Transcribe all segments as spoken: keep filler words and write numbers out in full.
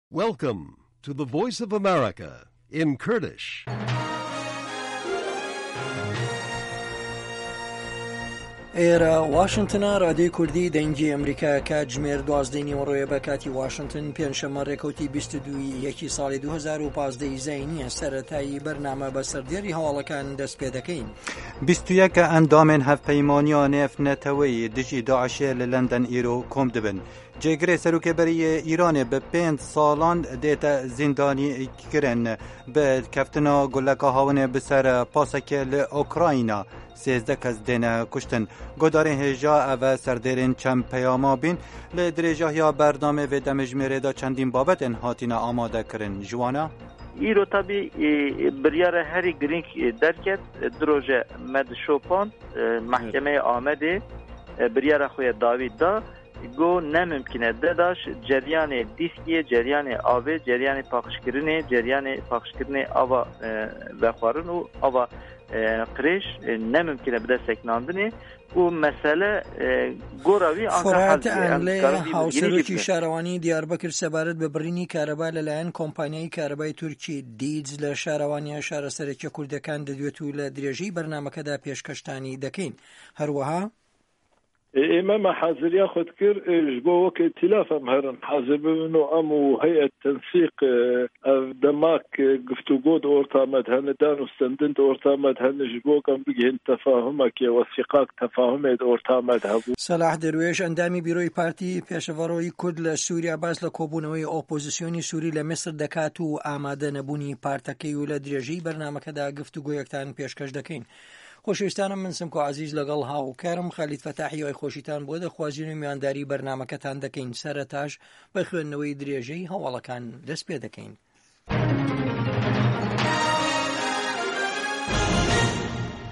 Welcome to the Voice of America in Kurdish. ئێرە واشنگتنە، ڕادیۆی کوردی دەنگی ئەمریکا، کاتژمێر دوازدەی نیوەڕۆیە بە کاتی واشنگتن، پێنجشەممە، ڕێکەوتی بیست و دوو یەکی ساڵی دوو هەزار و پازدە زینیە. سەرەتایی بەرنامە بە سەردێڕی هەواڵەکان دەست پێ دەکەین. بیست و یەک ئەندامên Hevpeymaniya Nêvneteweyî dijî DAIŞê li London îro kom dibin. Cêgirê serokê berî yê Îranê bi pênc salan dête zîndanî kirin. Bi keftina guleka hawinê bi ser pasekê li Ukrayna sêzdeh kes dêne kuştin. Guhdarên hêja, ev serdêrên çend peyama bîn. Li dirêjahiya bernamê vê demjimêrê de çendîn babetên hatine amade kirin. Ji wana Îro tabî, e, biryara herî girîng, e, derket. E, du roje me di şopand, e, Mehkemeyê Amedê, e, biryara xwe ya dawî da. Got, ne mimkîn e. DAIŞ ceryanê dîskiyê, ceryanê avê, ceryanê paqijkirinê, ceryanê paqijkirinê ava, e, vexwarin û ava, e, qirêj, e, ne mimkîn e bide sekinandinê. Û mesele, e, gora wî anka Forat hal bûye. Em Enlê, dikarin vî hawsarokî bibînin. Şarewaniya Diyarbekir sebaret bi birînî kareba li layen kompanyayê karebay Tirkî Dîc li şarewaniya şaresereke Kurdekan didwet û li dirêjî bernamekeda pêşkeştanî dekeyn. Her wiha Ê, ê me, me haziriya xwe dikir, ê, ji bo weke îtîlaf em herin hazir bibin û em û heyet tensîq, ê, ev demak, ê, guftûgo di orta me de hene, dan û stendin di orta me de hene, ji bo em bigihên tefahumekê, wesîqak tefahumê di orta me de hebû. Selah Derwêş, ئەندامی بیرۆی پارتی پێشەڤەڕۆی کورد لە سووریا، باس لە کۆبوونەوەی ئۆپۆزیسیۆنی سووری لە میسر دەکات و ئامادە نەبوونی پارتەکەی و لە درێژەی بەرنامەکەدا گفتوگۆیەکتان پێشکەش دەکەین. خۆشەویستانم، من سمکۆ عەزیز لەگەڵ هاوکارم خالید فەتاحی وای خۆشیتان بۆ دەخوازین و میوانداری بەرنامەکەتان دەکەین. سەرەتاش بە خوێندنەوەی درێژەی هەواڵەکان دەست پێ دەکەین.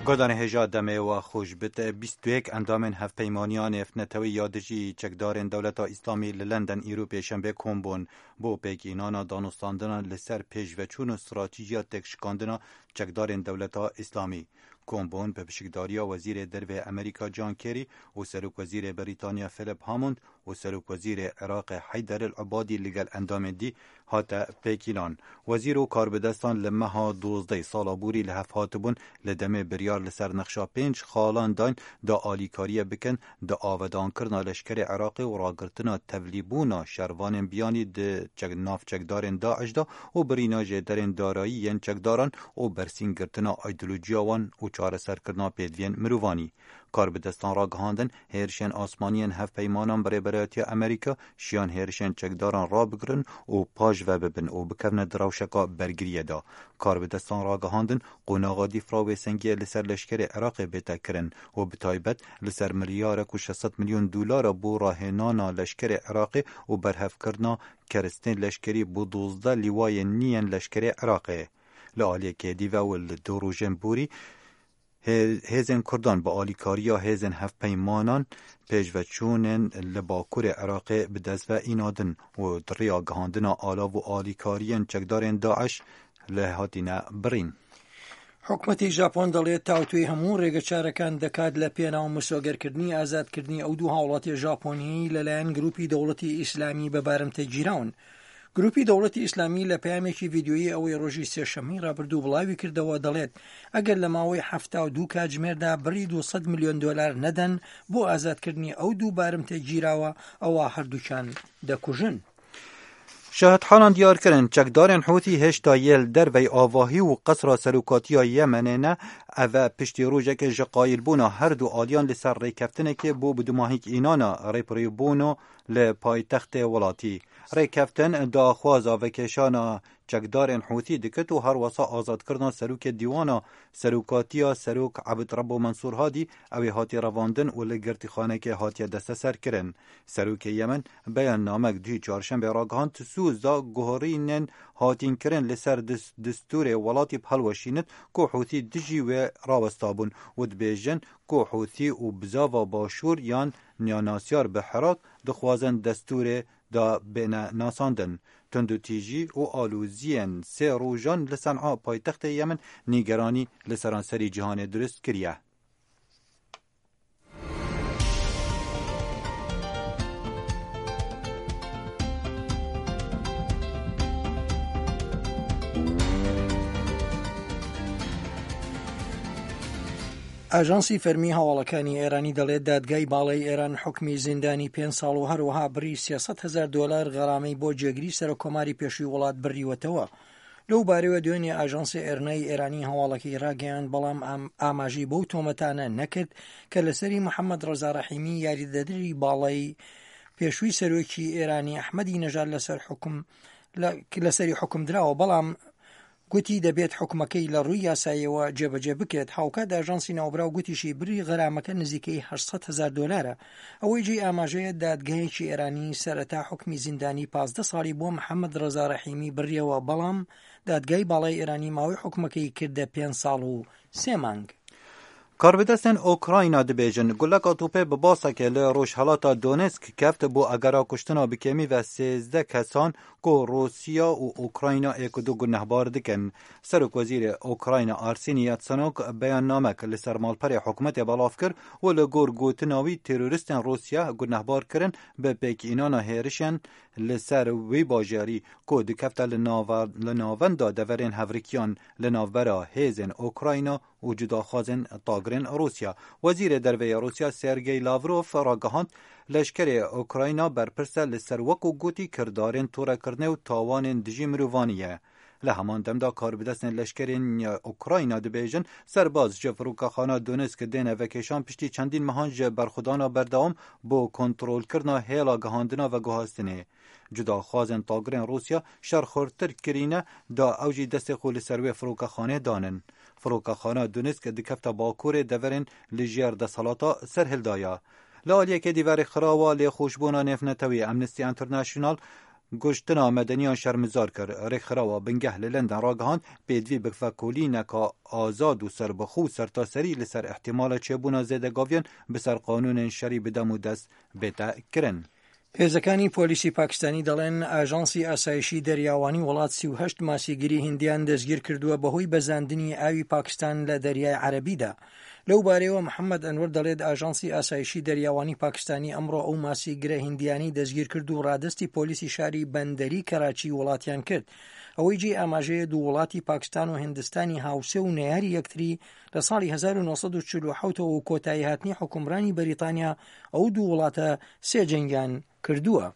Guhdarên hêja, demê we xweş bit. Bîst û yek endamên Hevpeymaniya Nêvneteweyî ya dijî çekdarên Dewleta Îslamî li London îro pêşembe kom bûn bo pêkînana danûstandina li ser pêşveçûn û stratîjiya têkşikandina çekdarên Dewleta Îslamî. Kom bûn bi pişikdariya Wezîrê Derve Amerîka John Kerry û Serokwezîrê Brîtanya Philip Hammond û Serokwezîrê Iraqê Heyder el-Ebadî li gel endamên dî hate pêkînan. Wezîr û karbidestan li meha duwazdeh sala borî li hev hatibûn, li demê biryar li ser nexşa pênc xalan dayn da alîkariye bikin, di avedankirina leşkerê Iraqê û ragirtina tevlîbûna şervanên biyanî di çek-, navçekdarên DAIŞ de û birîna jêderên darayî yên çekdaran û bersîngirtina îdeolojiya wan û çareserkirina pêdiviyên mirovanî. Karbidestan ragihandin, hêrişên asmanî yên hevpeymanan bi Rêberayetiya Amerîka şiyan hêrişên çekdaran rabigirin û paş ve bibin û bikevne di rewşeka bergiriyê de. Karbidestan ragihandin, qonaxa dîfra wêsengiyê li ser leşkerê Iraqê bête kirin û bi taybet li ser milyarek û şeş sed milyon dolara bo rahênana leşkerê Iraqê û berhevkirina keristên leşkerî bo duwazdeh lîwayên nî yên leşkerê Iraqê. Li aliyekê dî ve û li du rojên borî, Hê-, hêzên Kurdan bi alîkariya hêzên hevpeymanan pêşveçûnên li bakurê Iraqê bi dest ve înadin û di riya gihandina alav û alîkariyên çekdarên DAIŞ lê hatine birîn. حکومەتی ژاپۆن دەڵێت تاوتوێی هەموو ڕێگە چارەکان دەکات لە پێناو مسۆگەرکردنی ئازادکردنی ئەو دوو هاوڵاتی ژاپۆنیی لەلایەن گروپی دەوڵەتی ئیسلامی بە بارمتە گیراون. گروپی دەوڵەتی ئیسلامی لە پەیامێکی ڤیدیۆیی ئەوەی ڕۆژی سێشەممەی ڕابردوو بڵاوی کردەوە دەڵێت، ئەگەر لە ماوەی حەفتا و دوو کاتژمێردا بڕی دوو سەد ملیۆن دۆلار نەدەن بۆ ئازادکردنی ئەو دوو بارمتە گیراوە، ئەوا هەردووکیان دەکوژن. Şahidhalan diyar kirin, çekdarên Hûtî hêşta yê li dervey avahî û qesra serokatiya Yemenê ne. Ev e piştî rojekê ji qayilbûna her du aliyan li ser rêkeftinekê bo bi dumahîk înana rêpirêbûno li paytextê welatî. Rêkeftin daxwaza vekêşana çekdarên Hûtî dikit û herwesa azadkirina serokê Dîwana Serokatiya Serok Ebd Rebo Mensûr Hadî, ew ê hatî revandin û li girtîxanekê hatiye desteserkirin. Serokê Yemen beyannamek duhî çarşembê ragihand, di Sûz de guherînên hatîn kirin li ser dis-, distûrê welatî bi helweşînit ku Hûtî dijî wê rawestabûn û dibêjin ku Hûtî û bizava Başûr yan nênasyar bi Hirak dixwazin destûrê da bêne nasandin. Tundûtîjî û aloziyên sê rojan li Sen'a paytextê Yemen nîgeranî li seranserî cîhanê dirust kiriye. ئاژانسی فەرمی هەواڵەکانی ئێرانی دەڵێت دادگای باڵای ئێران حکمی زیندانی پێنج ساڵ و هەروەها بڕی سێسەد هەزار دۆلار غەرامەی بۆ جێگری سەرۆکۆماری پێشووی وڵات بڕیوەتەوە. لەو بارەوە دوێنێ ئاژانسی ئێرنای ئێرانی هەواڵەکەی ڕاگەیاند، بەڵام ئام-، ئاماژەی بەو تۆمەتانە نەکرد کە لەسەری محەممەد ڕەزا ڕەحیمی، یاریدەدەری باڵای پێشووی سەرۆکی ئێرانی ئەحمەدی نەژاد لەسەر حکم، لە-، لەسەری حکم دراوە، بەڵام گوتی دەبێت حکومەکەی لە ڕووی یاساییەوە جێبەجێ بکرێت. هاوکات ئاژانسی ناوبراو گوتیشی بڕی غەرامەکە نزیکەی هەشت سەد هەزار دۆلارە. ئەوەی جێی ئاماژەیە، دادگایەکی ئێرانی سەرەتا حکمی زیندانی پازدە ساڵی بۆ محەممەد ڕەزا ڕەحیمی بڕیەوە، بەڵام دادگای باڵای ئێرانی ماوەی حکومەکەی کردە پێنج ساڵ و سێ مانگ. Karbidestên Ukrayna dibêjin, guleka topê bi baseke li rojhelata Donetsk keft bo egera kuştina bi kêmî ve sêzdeh kesan ku Rûsya û Ukrayna ê ku du gunehbar dikin. Serokwezîrê Ukrayna Arseniy Yatsenuk beyannamek li ser malperê hikûmetê belav kir û li gor gotina wî teroristên Rûsya gunehbar kirin bi pêkînana hêrişên li ser wî bajarî ku dikefte li nava-, li navenda deverên hevrikiyan li navbera hêzên Ukrayna û cudaxwazên tagirên Rûsya. Wezîrê Derve yê Rûsya Sergey Lavrov ragihand, leşkerê Ukrayna berpirs e li ser, wekû gotî, kirdarên torekirinê û tawanên dijî mirovanî ye. Li heman dem de karbidestên leşkerên Ukrayna dibêjin, serbaz ji firokekhana Donetsk dêne vekêşan piştî çendîn mehan ji berxwedana berdewam bo kontrolkirina hêla gihandina veguhastinê. Cudaxwazên tagirên Rûsya şer xurtir kirîne da ew jî destê xwe li ser wê firokexanê danin. Firokexana Donetsk dikefte bakurê deverên li jêr desthilata serhilda ya. Li aliyekê dî ve rêkxirawa lêxweşbûna nêvnetewî Amnesty International kuştina medeniyan şermizar kir. Rêkxirawa bingeh li London ragihand, pêdivî bi vekolîneka azad û serbixwe û sertaserî li ser ihtimala çêbûna zêdegaviyan bi ser qanûnên şerî bi dem û dest bête kirin. هێزەکانی پۆلیسی پاکستانی دەڵێن ئاژانسی ئاسایشی دەریاوانی وڵات سی و هەشت ماسیگری هندیان دەستگیر کردووە بەهۆی بەزاندنی ئاوی پاکستان لە دەریای عەرەبیدا. لەو بارەیەوە محەممەد ئەنوەر دەڵێت ئاژانسی ئاسایشی دەریاوانی پاکستانی ئەمڕۆ ئەو ماسیگرە هندیانی دەستگیر کرد و ڕادەستی پۆلیسی شاری بەندەری کەراچی وڵاتیان کرد. ئەوەی جێی ئاماژەیە، دوو وڵاتی پاکستان و هندستانی هاوسێ و نەیاری یەکتری لە ساڵی هەزار و نۆسەد و چل و حەوت و کۆتایی هاتنی حکومڕانی بەریتانیا ئەو دوو وڵاتە سێ جەنگیان کردووە.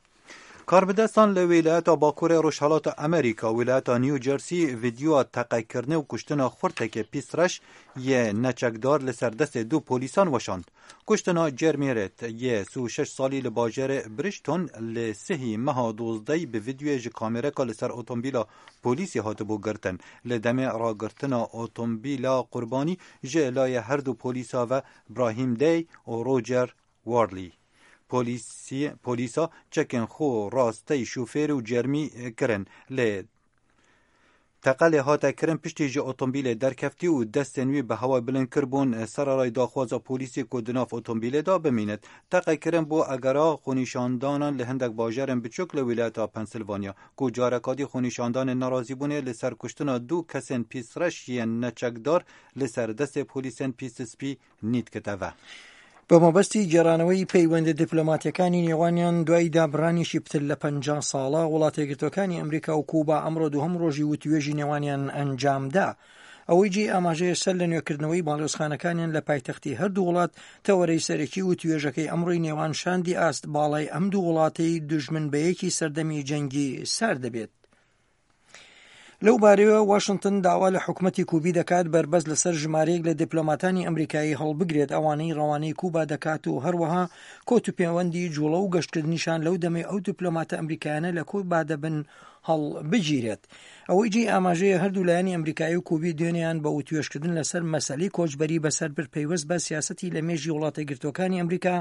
Karbidestan li wîlayeta Bakurê Rojhelata Amerîka, wîlayeta New Jersey, vîdyoya teqekirinê û kuştina xurtekê pîsreş yê neçekdar li ser destê du polîsan weşand. Kuştina Jeremy Reed yê sî û şeş salî li bajêrê Bridgton li sihî meha dozdehî bi vîdyoyê ji kamereka li ser otomobîla polîsê hatibû girtin. Li demê ragirtina otomobîla qurbanî ji layê her du polîsa ve Brahim Day û Roger Worley. Polîsî-, polîsa çekên xwe rastey şofêr û Jeremy kirin. Lê teqelê hate kirin piştî ji otomobîlê derkeftî û destên wî bi hewayê bilind kiribûn, sererayî daxwaza polîsê ku di nav otomobîlê de bimînit. Teqekirin bo egera xwenîşandanan li hindek bajarên biçûk li wîlayeta Pensilvanya, ku careka dî xwenîşandanên nerazîbûnê li ser kuştina du kesên pîsreş yên neçekdar li ser destê polîsên pîstispî nît kite ve. بە مەبەستی گێڕانەوەی پەیوەندە دیپلۆماتیەکانی نێوانیان دوای دابڕانێکی پتر لە پەنجا ساڵە، وڵاتە یەکگرتوەکانی ئەمریکا و کوبا ئەمڕۆ دووهەم ڕۆژی وتوێژی نێوانیان ئەنجامدا. ئەوەی جێی ئاماژەیە، سەر لە نوێکردنەوەی باڵیۆزخانەکانیان لە پایتەختی هەردوو وڵات، تەوەرەی سەرەکی وتوێژەکەی ئەمڕۆی نێوان شاندی ئاست باڵای ئەم دوو وڵاتەی دوژمن بە یەکی سەردەمی جەنگی سارد دەبێت. لەو بارەیەوە، واشنگتن داوا لە حکومەتی کوبی دەکات بەربەست لەسەر ژمارەیەک لە دیپلۆماتانی ئەمریکایی هەڵبگرێت، ئەوانەی ڕەوانەی کوبا دەکات و هەروەها کۆت و پێوەندی جوڵە و گەشتکردنیشان لەو دەمەی ئەو دیپلۆماتە ئەمریکایانە لە کوبا دەبن هەڵبگیرێت. ئەوەی جێی ئاماژەیە، هەردوو لایەنی ئەمریکایی و کوبی دوێنێیان بە وتوێشکردن لەسەر مەسەلەی کۆچبەری بەسەر بەر پەیوەست بە سیاسەتی لە مێژی وڵاتە گرتوەکانی ئەمریکا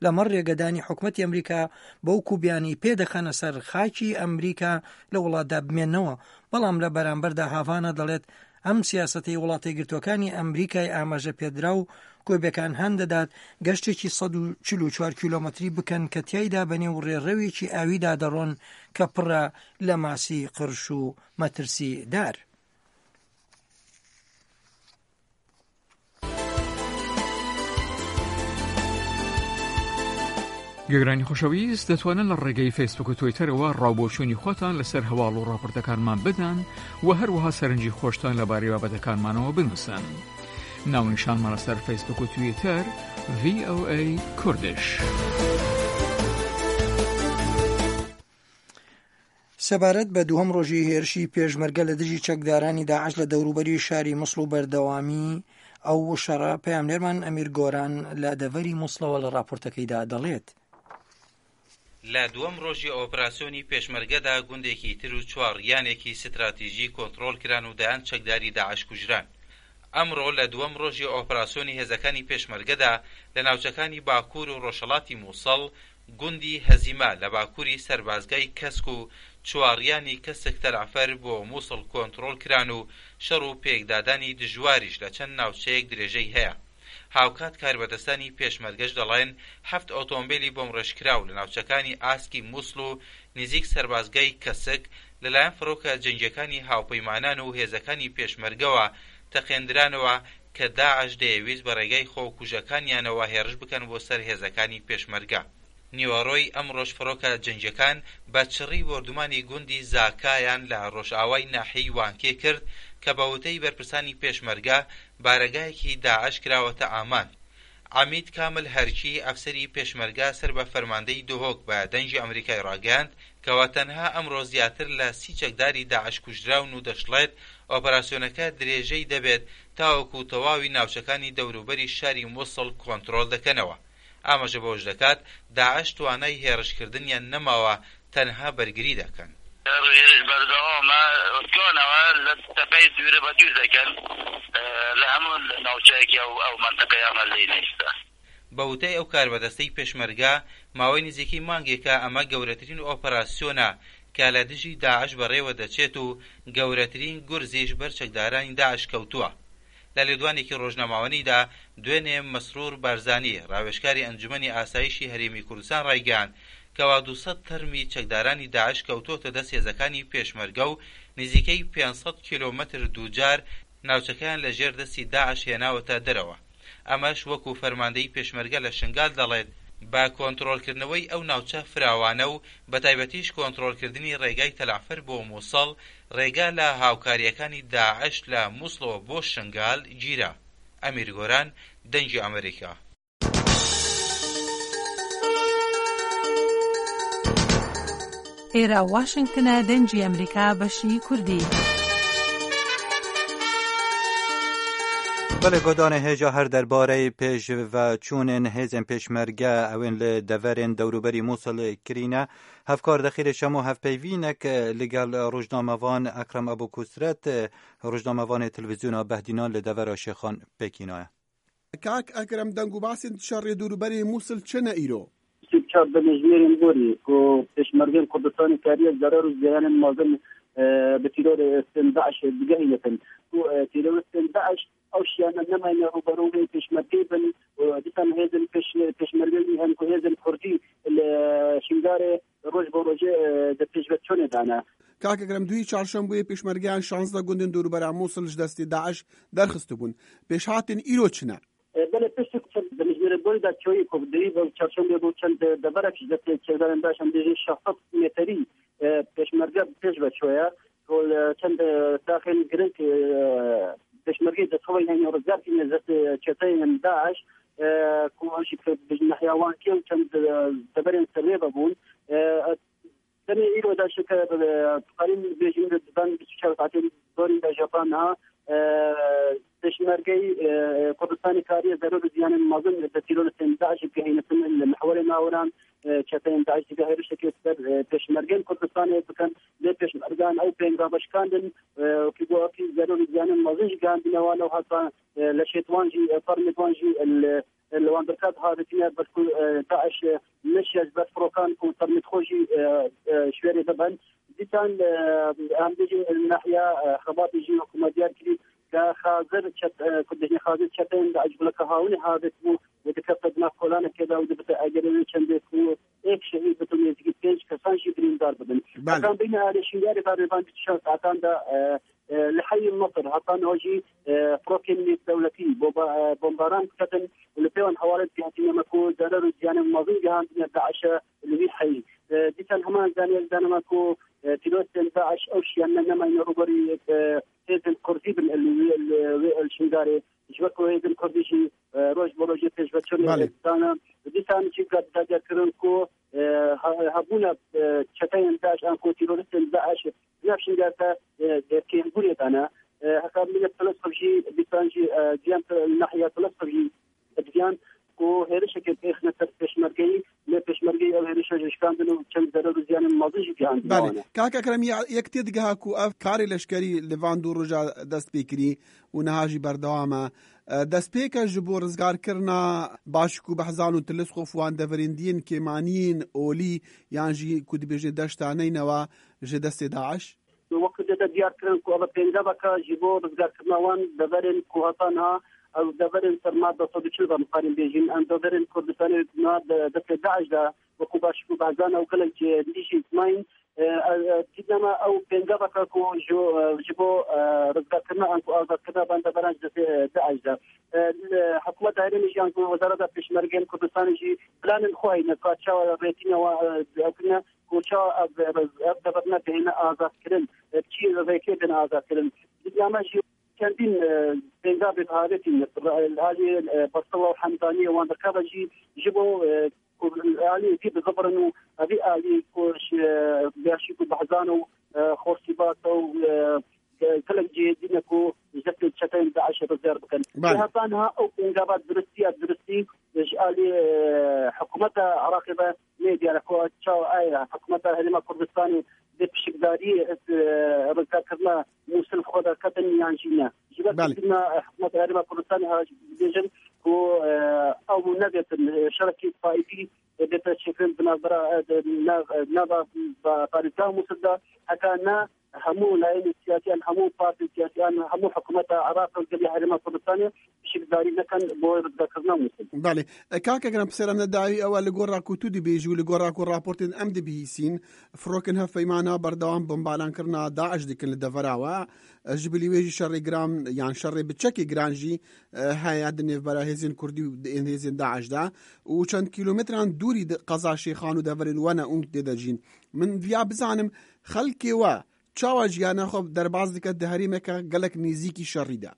لەمەڕ ڕێگەدانی حکومەتی ئەمریکا بەو کوبیانی پێدەخەنە سەر خاکی ئەمریکا لە وڵاتدا بمێنەوە. بەڵام لە بەرامبەردا، هاڤانا دەڵێت ئەم سیاسەتەی وڵاتە گرتوەکانی ئەمریکای ئاماژە پێدرا و کوبیەکان هان دەدات گەشتێکی سەد و چل و چوار کیلۆمەتری بکەن کە تیایدا بە نێو ڕێڕەوێکی ئاویدا دەڕۆن کە پڕە لە ماسی قرش و مەترسی دار. گوێگرانی خۆشەویست، دەتوانن لە ڕێگەی فەیسبوک و تویتەرەوە ڕاوبۆچوونی خۆتان لەسەر هەواڵ و ڕاپۆرتەکانمان بدەن و هەروەها سەرنجی خۆشتان لەبارەی بابەتەکانمانەوە بنووسن. ناونیشانمانە سەر فەیسبوک و تویتەر، ڤی ئۆ ئەی کوردش. سەبارەت بە دووەم ڕۆژی هێرشی پێشمەرگە لە دژی چەکدارانی داعش لە دەوروبەری شاری موسڵ و بەردەوامی ئەو شەڕە، پەیامنێرمان ئەمیر گۆران لە دەڤەری موسڵەوە لە ڕاپۆرتەکەیدا دەڵێت. لە دووەم ڕۆژی ئۆپراسیۆنی پێشمەرگەدا گوندێکی تر و چوار یانێکی ستراتیژی کۆنترۆل کران و دەیان چەکداری داعش کوژران. ئەمڕۆ لە دووەم ڕۆژی ئۆپراسیۆنی هێزەکانی پێشمەرگەدا لە ناوچەکانی باکوور و ڕۆژهەڵاتی موسڵ، گوندی هەزیمە لە باکووری سەربازگای کەسک و چواریانی کەسک تەلعفەر بۆ موسڵ کۆنترۆل کران و شەڕ و پێکدادانی دژواریش لە چەند ناوچەیەک درێژەی هەیە. هاوکات کاربەدەستانی پێشمەرگەش دەڵێن، هەفت ئۆتۆمبیلی بۆمڕێژکراو لە ناوچەکانی ئاسکی موسڵ و نزیک سەربازگای کەسک لەلایەن فڕۆکە جەنگیەکانی هاوپەیمانان و هێزەکانی پێشمەرگەوە تەقێندرانەوە کە داعش دەیەویست بە ڕێگای خۆکوژەکانیانەوە هێرش بکەن بۆ سەر هێزەکانی پێشمەرگە. نیوەڕۆی ئەمڕۆش فڕۆکە جەنگیەکان بە چڕی بۆردومانی گوندی زاکایان لە ڕۆژئاوای ناحیەی وانکێ کرد کە بە وتەی بەرپرسانی پێشمەرگە بارەگایەکی داعش کراوەتە ئامان. عەمید کامل هەرکی، ئەفسەری پێشمەرگە سەر بە فەرماندەی دهۆک، بە دەنگی ئەمریکای ڕاگەیاند کەوا تەنها ئەمڕۆ زیاتر لە سی چەکداری داعش کوژراون و دەشڵێت ئۆپەراسیۆنەکە درێژەی دەبێت تاوەکو تەواوی ناوچەکانی دەوروبەری شاری موسڵ کۆنترۆل دەکەنەوە. ئاماژە بەوەش دەکات، داعش توانای هێرشکردنیان نەماوە، تەنها بەرگری دەکەن. هێرش بەردەوامە، ئۆسکانەوە لە تەپەی دوورە بە دوور دەکەن، لە هەموو ناوچەیەکی ئەو، ئەو مەنتەقەیە ئەمە لێ نەیستا. بە وتەی ئەو کاربەدەستەی پێشمەرگە، ماوەی نزیکەی مانگێکە ئەمە گەورەترین ئۆپەراسیۆنە کە لە دژی داعش بەڕێوە دەچێت و گەورەترین گورزیش بەر چەکدارانی داعش کەوتووە. لە لێدوانێکی ڕۆژنامەوانیدا دوێنێ مەسرور بارزانی، ڕاوێژکاری ئەنجومەنی ئاسایشی هەرێمی کوردستان ڕایگەیاند کەوا دوو سەد تەرمی چەکدارانی داعش کەوتووەتە دەست هێزەکانی پێشمەرگە و نزیکەی پێنج سەد کیلۆمەتر دووجار ناوچەکەیان لە ژێر دەستی داعش هێناوەتە دەرەوە. ئەمەش وەکو فەرماندەی پێشمەرگە لە شنگال دەڵێت، بە کۆنترۆلکردنەوەی ئەو ناوچە فراوانە و بە تایبەتیش کۆنترۆلکردنی ڕێگای تەلعفەر بۆ موسڵ، ڕێگا لە هاوکاریەکانی داعش لە موسڵەوە بۆ شنگال گیرا. ئەمیر گۆران، دەنگی ئەمریکا. ئێرە واشنگتنە، دەنگی ئەمریکا، بەشی کوردی. Belê, godanê hêja her derbareyê pêşveçûnên hêzên pêşmerge ewên li deverên dewroberî Mûsil kirîne. Hevkar Dexîlê Şemo hevpeyvînek li gel rojnamevan Ekrem Ebû Kusret, rojnamevanê televîzyona Behdînan li devera Şêxan pêkînaye. Kak Ekrem, deng û basên şerê dûrûberê Mûsil çi ne îro? Sî çar demjimêrên borî ku pêşmergên Kurdistanê kariye zerar û ziyanên mezin, e, bi tîrorê Daeş digehînitin. Ku, e, tîroristên Daeş ew şiyane nemayne rûberû wê pêşmergeyê bin û dîsan hêzên pêş-, pêşmergeyî hem ku hêzên Kurdî li Şingalê roj bo rojê, e, di pêşveçûnê de ne. Kak Ekrem, dûyî çarşembûyê pêşmergeyan şazdeh gundên dorûbera Mûsil ji destê Daeş derxistibûn. Pêşhatên îro çi ne? E, belê piştî ku çend demjimêrê borî de çoyî ku dûyî bo çarşembê bû çend deverek ji destê çekdarên Daeş em bêjin şeş sed metrî, e, pêşmerge bi pêş ve çoye. Ku li çend, e, taxên giring, e, pêşmergeyê destxwe hene rizgar kiriye ji destê çeteyên Daeş, e, ku an jî bi nahiya Wankê û çend, e, deverên serê ve bûn. E, Tenê îro de şike, e, dikarîn bêjin di van bîst û çar saetên dorî de japa niha, e, pêşmergeyî, e, Kurdistanê kariye zerar û ziyanên mezin bi tîroristên Daeş gihînitin li mihwerê nawiran, e, çeteyên Daeş dike hêrişekê ser, e, pêşmergên Kurdistanê bikin. Lê pêşmergan ew pênga veşikandin, e, wekî got, wekî zerar û ziyanên mezin jî gihandine wan û heta, e, leşê wan jî, e, fermê wan jî, e, li, e, li wan birka dihavêtine, belku, e, Daeş, e, neşiya ji ber firokan ku fermê xwe jî, e, e, ji wêrê bibin. Dîsan, e, em bêjin nahiya, e, Xebatê jî hikûmet diyar kirî ke xazir çet-, e, ku dibêjin xazir çeteyên Daeş ji guleka hawinê havêt bû û dikefte di nav kolanekê de û dibite egerê wê çendê ku êk şehîd bitin, nêzîkî pênc kesan jî birîndar bibin. Belê. Hetan bîne alê Şingalê berê van bîst û çar saetan de, e, e, li heyî Misir, hetan o jî, e, firokên nêvdewletî bomba-, e, bombaran diketin û li pê wan hewalet gihatîne me ku zerar û ziyanên mezin gihandine Daişe li vî heyî. E, dîsan heman zaniyek dane me ku, e, tîroristên Daeş ew şiyane nemayne rûberî, e, hêzên kurdî bin li wê, li wê, li Şingalê. Ji ber ku hêzên kurdî jî, e, roj bi rojê pêşveçûnê Belê. dane. Dîsan jî gat-, dagirkirin ku, e, he-, hebûna, e, çeteyên DAIŞ an ku teroristên DAIŞ di nav Şingal de, e, de kêmbûnê dane. E, heta millet Filistîn jî, dîsan jî, e, diyan nahiya Filistîn jî, diyan ku hêrişeke pêxine ser pêşmergeyî, lê pêşmergeyî ew hêrişa jî şikandin û çend zerar û ziyanên mezin jî gihandine Belê. wana. Kak Ekrem, ya-, yek tê digeha ku ev karê leşkerî li van du roja dest pê kirî û niha jî berdewam e. E, destpêke ji bo rizgarkirina Başik û Behzan û Tilîsxof wan deverên diyên kêmaniyên olî yan jî ku dibêjin deşta neynewa ji destê DAIŞ? Wekî dê de diyar kirin ku ev pêngaveke ji bo rizgarkirina wan deverên ku heta niha ew deverên serma du sed û çil ve mixabin bêjin. Em deverên Kurdistanê niha de destê DAIŞ de wekî Başik û Behzan û gelek cihê dî jî mayîn. E, e, e, dîtnama ew pêngaveke ku ji, e, ji bo, e, rizgarkirina an ku azadkirina van deveran ji destê, e, DAIŞ de. E, li hikûmeta herêmê jî an ku Wezareta Pêşmergeyên Kurdistanê jî planên xwe heyne ka çawa rêtîna wan, e, ew kirine. Ku çawa ev, ev, ev deverine dihêne azadkirin, e, çi rêkê bên azadkirin. Dîtname jî çendîn, e, pêngavê avêtî li alî, e, Bersiva û Hemdaniyê wan dikeve jî ji bo, e, ku alî vî bizivirin û evî alî ku ji, e, Başik û Behzan û, e, Xorsîbat û, e, e, gelek cihê dîne ku ji destê çeteyên DAIŞ rizgar bikin. Belê. Heta niha ew pêngava duristî ya duristî ji alî, e, hikûmeta Iraqê ve nê diyar e ku çawa aya hikûmeta Herêma Kurdistanê dê pişikdarî, e, rizgarkirina Mûsil xwe de ketin yan jî ne. Ji ber Belê. Kurdina, e, hikûmeta Herêma Kurdistanê ha dibêjin ku, e, ew nedêtin, e, şerekî taîfî, e, bête çêkirin di navbera, e, di nav, e, nava ba-, parêzgeha Mûsil de, heta ne hemû layînên siyasî an hemû partiyên siyasî an hemû hikûmeta Iraq û gelê Herêma Kurdistanê pişikdarî nekin bo rizgarkirina Mûsil. Belê. E, kak Ekrem, pirsera min dawî ew e, li gor ra ku tu dibêjî û li gor ra ku raportên em dibihîsîn, firokên hevpeymana berdewam bombalankirina DAIŞ dikin li devera we. E, ji bilî wê jî şerê giran yan şerê bi çekê giran jî, e, heye di nêvbera hêzên kurdî û di ên hêzên DAIŞ de û çend kîlometran dûrî di qeza Şêxan û deverên we ne û tê de jîn. Min viya bizanim, xelkê we çawa jiyana xwe derbas dike di herêmeke gelek nêzîkî şerî de?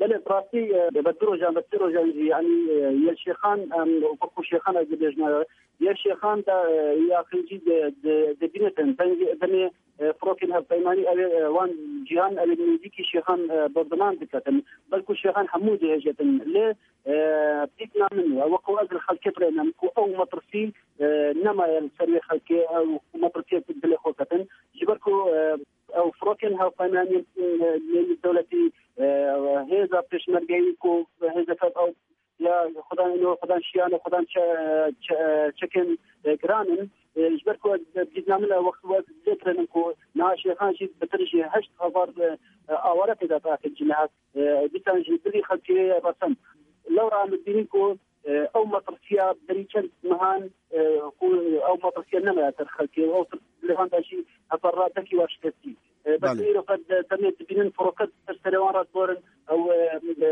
Belê, bi rastî, e, bi du rojan, bi sê rojan jî, yanî, e, yê Şêxan, em, wekû Şêxan ez dibêjim, e, yê Şêxan de, e, yaxincî de, de, dibînitin. Dengê, demê, e, firokên hevpeymanî ew ê, e, wan cihan ew ê nêzîkî Şêxan, e, bombeman diketin. Belkû Şêxan hemû dihêjetin. Lê, e, dîtina min, e, wekû ez li xelkê birênim ku ew metirsî, e, nemaye li ser wê xelkê, ew metirsiyek dilê xwe ketin. Ji ber ku, e, ew firokên hevpeymaniyên, e, nêzîk dewletî, e, hêza pêşmergeyî ku hêzeke ew ya xudan ino, xudan şiyano, xudan çe-, çe-, çekên, e, giran in. E, ji ber ku ez dîtina min e, wext wek zêkirin ku niha Şêxan jî bitir ji heşt hezar, e, e, aware tê de takin ji niha. E, dîsan jî dilî xelkê ye resend. Lewra em dibînin ku, e, ew metirsiya berî çend mehan, e, ku ew metirsiya nemaye ser xelkê. Ew tir lêhan de jî heta radekî wa şikestî. E, bes Belê. Îro qet de demê dibînin firoket ser serê wan re diborin. Ew, e, e,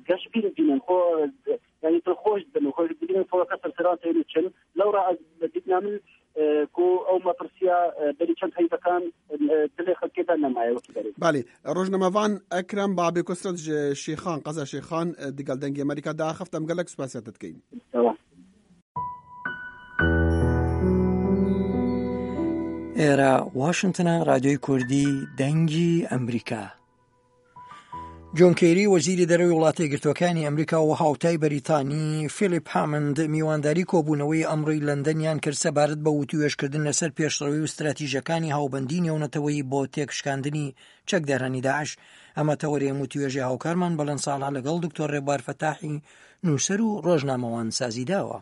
geşbîn dibînin. Xwe, e, yanî dilxweş dibin. Xwe dibînin firoket ser serê wan têne çin. Lewra ez dîtina min, e, ku ew metirsiya, e, berî çend heyvekan, e, dilê xelkê de nemaye wekî berê. Belê. Rojnamevan Ekrem Babê Kusret ji Şêxan, qeza Şêxan, e, digel Dengê Amerîka diaxift. Em gelek spasiya te dikeyin. Tamam. ئێرە واشنگتنە، ڕادیۆی کوردی دەنگی ئەمریکا. جۆن کێری، وەزیری دەرەوەی وڵاتە یەکگرتووەکانی ئەمریکا و هاوتای بەریتانی فیلیپ هامند میوانداری کۆبوونەوەی ئەمڕۆی لەندەنیان کرد سەبارەت بە وتوێژکردن لەسەر پێشڕەوی و استراتیژەکانی هاوبەندی نێونەتەوەیی بۆ تێکشکاندنی چەکدارانی داعش. ئەمە تەوەرێ وتوێژی هاوکارمان بەڵێن ساڵح لەگەڵ دکتۆر ڕێبوار فەتاحی، نووسەر و ڕۆژنامەوان سازی داوە.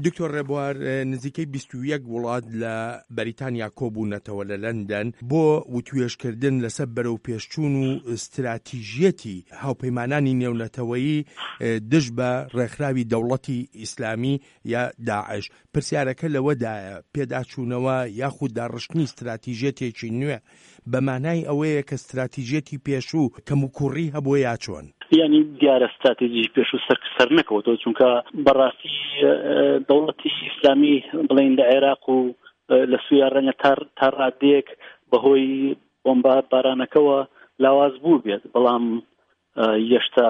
دکتۆر ڕێبوار، نزیکەی بیست و یەک وڵات لە بەریتانیا کۆبوونەتەوە لە لەندەن بۆ وتوێژکردن لەسەر بەرەو پێشچوون و استراتیژیەتی هاوپەیمانانی نێونەتەوەیی دژ بە ڕێکخراوی دەوڵەتی ئیسلامی یا داعش. پرسیارەکە لەوەدایە، پێداچوونەوە یاخود داڕشتنی استراتیژیەتێکی نوێ بە مانای ئەوەیە کە استراتیژیەتی پێشوو کەم و کوڕی هەبووە یا چۆن؟ یعنی دیارە استراتیژی پێشوو سەر، سەر نەکەوتەوە، چونکە بەڕاستی، ئە، دەوڵەتی ئیسلامی بڵێن لە عێراق و، ئە، لە سووریا ڕەنگە تا، تا ڕادەیەک بەهۆی بۆمبە بارانەکەوە، لاواز بوو بێت، بەڵام ئە، هێشتا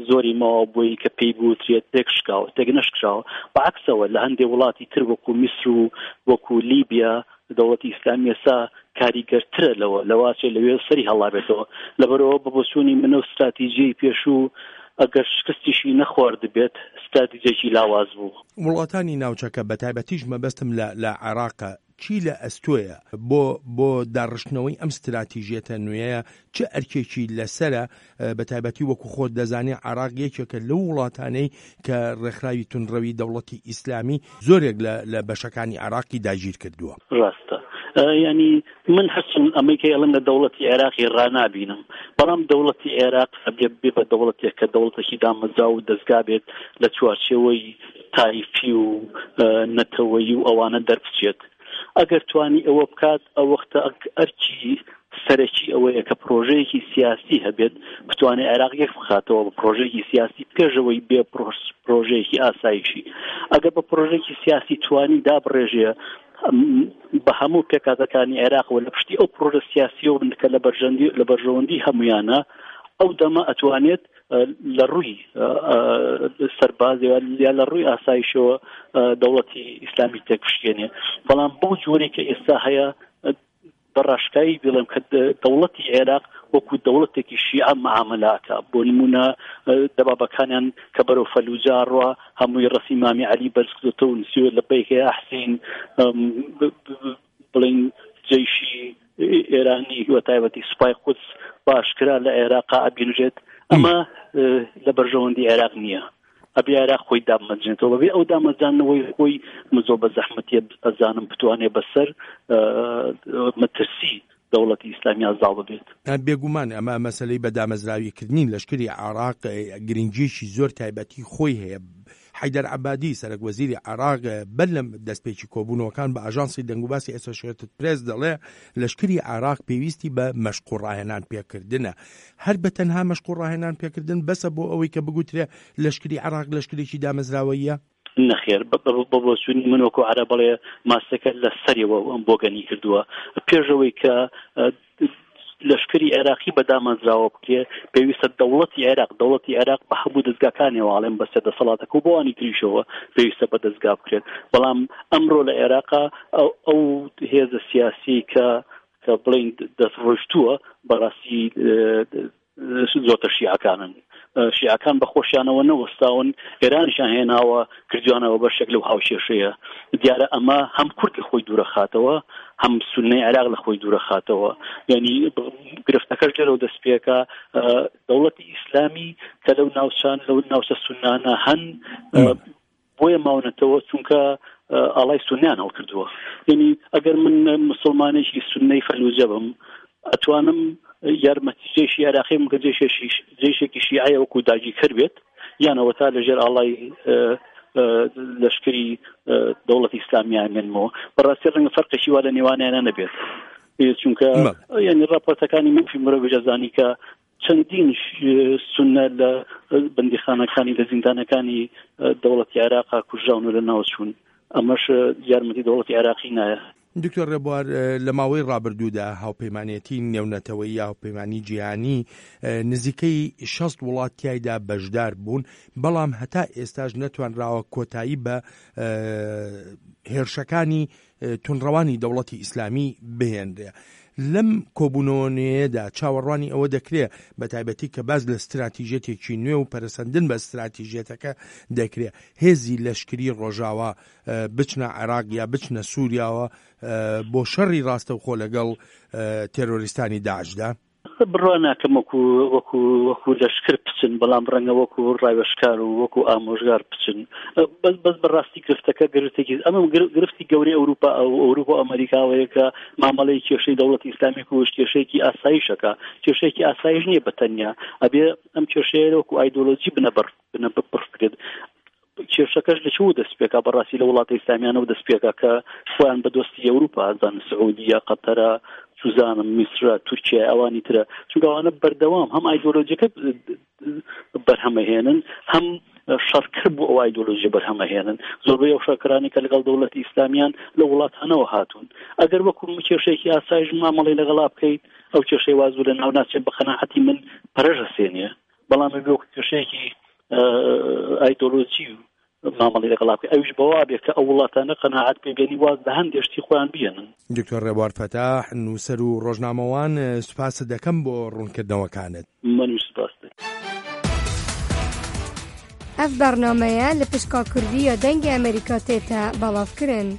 زۆری ماوە بۆی کە پێی بوترێت تێکشکاوە، تێک نەشکراوە. بەعکسەوە، لە هەندێک وڵاتی تر وەکو میسر و وەکو لیبیا، دەوڵەتی ئیسلامی ئێستا کاریگەرترە لەوە، لەواچێ لەوێ سەری هەڵابێتەوە. لەبەرەوە بە بۆچوونی منە و استراتیژیەی پێشوو، ئەگەر شکستیشی نەخواردبێت، استراتیژێکی لاواز بوو. وڵاتانی ناوچەکە، بە تایبەتیش مەبەستم لە، لە عێراقە، چی لە ئەستۆیە بۆ، بۆ داڕشتنەوەی ئەم استراتیژیەتە نوێیە؟ چ ئەرکێکی لەسەرە؟ ئە، بە تایبەتی وەکو خۆت دەزانێ، عێراق یەکێکە لەو وڵاتانەی کە ڕێکخراوی تونڕەوی دەوڵەتی ئیسلامی زۆرێک لە، لە بەشەکانی عێراقی داگیر کردووە. ڕاستە. ئە، یعنی، من هەرچەند ئەمەی کە ئێڵم لە دەوڵەتی عێراقی ڕانابینم، بەڵام دەوڵەتی عێراق ئەبێ بێ بە دەوڵەتێک کە دەوڵەتێکی دامەزراو و دەستگا بێت لە چوارچێوەی تایفی و، ئە، نەتەوەیی و ئەوانە دەربچێت. ئەگەر توانی ئەوە بکات، ئەو وەختە ئەک-، ئەرکی سەرەکی ئەوەیە کە پرۆژەیەکی سیاسی هەبێت، بتوانێت عێراق یەک بخاتەوە بە پرۆژەیەکی سیاسی، پێشەوەی بێ پرۆس-، پرۆژەیەکی ئاسایشی. ئەگەر بە پرۆژەیەکی سیاسی توانی دابڕێژێ، ئەم، بە هەموو پێکاتەکانی عێراق و لە پشتی ئەو پرۆژە سیاسیەوە بن کە لە بەرژەندی-، لە بەرژەوەندی هەمویانە، ئەو دەمە ئەتوانێت، ئە، لە ڕووی، ئە، ئە، سەربازەوە یا لە ڕووی ئاسایشەوە، ئە، دەوڵەتی ئیسلامی تێکشکێنێ. بەڵام بەو جۆرەی کە ئێستا هەیە، ئە، بە ڕاشکایی بڵێم کە دە-، دەوڵەتی عێراق وەکو دەوڵەتێکی شیعە معاملاتە. بۆ نمونە، ئە، دەبابەکانیان کە بەرەو فەلوجە ڕوا، هەمووی ڕەسی مامی عەلی بەرز کردوتە و نووسیوە لە بەیکە ئەحسین، ئەم، ب-، ب-، ب-، بڵین جەیشی ئێرانی و تایبەتی سوپای قودس باشکرا لە عێراقا ئەبینرێت. ئەمە، ئە، لە بەرژەوەندی عێراق نییە. ئەبێ عێراق خۆی دامەزرێنێتەوە. بەبێ ئەو دامەزرانەوەی خۆی، من زۆر بە زەحمەتیە ئەزانم بتوانێت بەسەر، ئە، مەترسی دەوڵەتی ئیسلامی ئازاڵ ببێت. بێگومان ئەمە مەسەلەی بە دامەزراویکردنی لەشکری عێراق، ئە، گرنگیەکی زۆر تایبەتی خۆی هەیە. حەیدەر عەبادی، سەرەک وەزیری عێراق، بەر لە دەستپێکی کۆبوونەوەکان بە ئاژانسی دەنگوباسی ئەسۆشیێتد پرێس دەڵێ، لەشکری عێراق پێویستی بە مەشق و ڕاهێنان پێکردنە. هەر بە تەنها مەشق و ڕاهێنان پێکردن بەسە بۆ ئەوەی کە بگوترێ لەشکری عێراق لەشکرێکی دامەزراوەیە؟ نەخێر، بە، بە، بە بۆچوونی من وەکو عەرەب بڵێ ماستەکە لە سەریەوە ئەم بۆگەنی کردووە. پێشەوەی کە، ئە، لەشکری عێراقی بە دامەزراوە بکرێ، پێویستە دەوڵەتی عێراق، دەوڵەتی عێراق بە هەموو دەستگاکانیەوە ئەڵێن بەسەر دەسەڵاتەکە و بۆ ئەوانی تریشەوە پێویستە بە دەستگا بکرێت. بەڵام ئەمڕۆ لە عێراقا ئەو، ئەو هێزە سیاسی کە، کە بڵێن دەست ڕۆشتووە، بەڕاستی، ئە، ئە، زۆرتر شیعەکانن. ئە، شیعەکان بە خۆشیانەوە نەوەستاون، ئێرانیشان هێناوە کردوانەوە بەشێک لەو هاوکێشەیە. دیارە ئەمە هەم کورد لە خۆی دوورە خاتەوە، هەم سوننەی عێراق لە خۆی دوورە خاتەوە. یعنی، ب-، گرفتەکەش لێرەوە دەست پێکا، ئە، دەوڵەتی ئیسلامی کە لەو ناوچان، لەو ناوچە سوننانە هەن، ئە، بۆیە ماونەتەوە، چونکە، ئە، ئاڵای سوننیان هەڵکردووە. یعنی، ئەگەر من مسلمانێکی سوننەی فەلوجە بم، ئەتوانم یارمەتی جێشی عێراقی بم کە جێشێکی، جێشێکی شیعەیە وەکو داگیرکەر بێت، یان ئەوەتا لەژێر ئاڵای، ئە، ئە، لەشکری، ئە، دەوڵەتی ئیسلامیان مێنمەوە. بەڕاستی ڕەنگە فەرقێکی وا لە نێوانیانە نەبێت. چونکە، یعنی، راپۆرتەکانی مافی مرۆڤ ئەزانی کە چەندین ش-، سوننە لە بەندیخانەکانی، لە زیندانەکانی، ئە، دەوڵەتی عێراقا کوژراون و لە ناو چوون. ئەمەش، ئە، یارمەتی دەوڵەتی عێراقی نایە. دکتۆر ڕێبوار، ئە، لە ماوەی ڕابردوودا هاوپەیمانێتی نێونەتەوەی یا هاوپەیمانی جیهانی، ئە، نزیکەی شەست وڵات تیایدا بەشدار بوون، بەڵام هەتا ئێستاش نەتوانراوە کۆتایی بە، ئە، هێرشەکانی، ئە، تونڕەوانی دەوڵەتی ئیسلامی بهێنرێ. لەم کۆبوونەوەیەدا چاوەڕوانی ئەوە دەکرێ، بە تایبەتی کە باز لە استراتیژێتێکی نوێ و پەرەسەندن بە استراتیژێتەکە دەکرێ، هێزی لەشکری ڕۆژاوا، ئە، بچنە عێراق یا بچنە سووریاوە، ئە، بۆ شەڕی ڕاستەوخۆ لەگەڵ، ئە، تێرۆریستانی داعشدا؟ بڕوا ناکەم وەکو، وەکو، وەکو لەشکر بچن، بەڵام ڕەنگە وەکو ڕاوێژکار و وەکو ئامۆژگار بچن. بەس، بەس بەڕاستی گرفتەکە گرفتێکی، ئەمە گر-، گرفتی گەورەی ئەوروپا، ئەو-، ئەوروپا و ئەمریکاوەیە کە مامەڵەی کێشەی دەوڵەتی ئیسلامی کوشت کێشەیەکی ئاسایشەکە. کێشەیەکی ئاسایش نییە بە تەنیا. ئەبێ ئەم کێشەیە وەکو ئایدۆلۆجی بنەبڕ، بنەبڕ بکرێت. کێشەکەش لە چوو دەست پێکا؟ بەڕاستی لە وڵاتە ئیسلامیانەوە دەست پێکا کە خۆیان بە دۆستی ئەوروپا ئەزان، سعودیە، قەتەرە، سوزانم، میسرە، تورکیا، ئەوانی ترە. چونکە ئەوانە بەردەوام هەم ئایدۆلۆژیەکە بەرهەمەهێنن، هەم شەڕکەر بۆ ئەو ئایدۆلۆژیە بەرهەمەهێنن. زۆربەی ئەو شەڕکەرانی کە لەگەڵ دەوڵەتی ئیسلامیان لە وڵاتانەوە هاتوون. ئەگەر وەکو کێشەیەکی ئاسایش مامەڵەی لەگەڵا بکەیت، ئەو کێشەی وا زوو لە ناو ناچێت، بە قەناعەتی من پەرەش ئەسێنێ. بەڵام ئەبێ وەکو کێشەیەکی، ئە، ئایدۆلۆژی مامەڵەی لەگەڵا بکەیت. ئەویش بەوا بێت کە ئەو وڵاتانە قەناعەت پێ بێنی واز لە هەندێک شتی خۆیان بێنن. دکتۆر ڕێبوار فەتاح، نووسەر و ڕۆژنامەوان، سوپاست دەکەم بۆ ڕوونکردنەوەکانت. منیش سوپاس دەکەم. Ev bernameye li pişka Kurdî ya Dengê Amerîka tête belavkirin.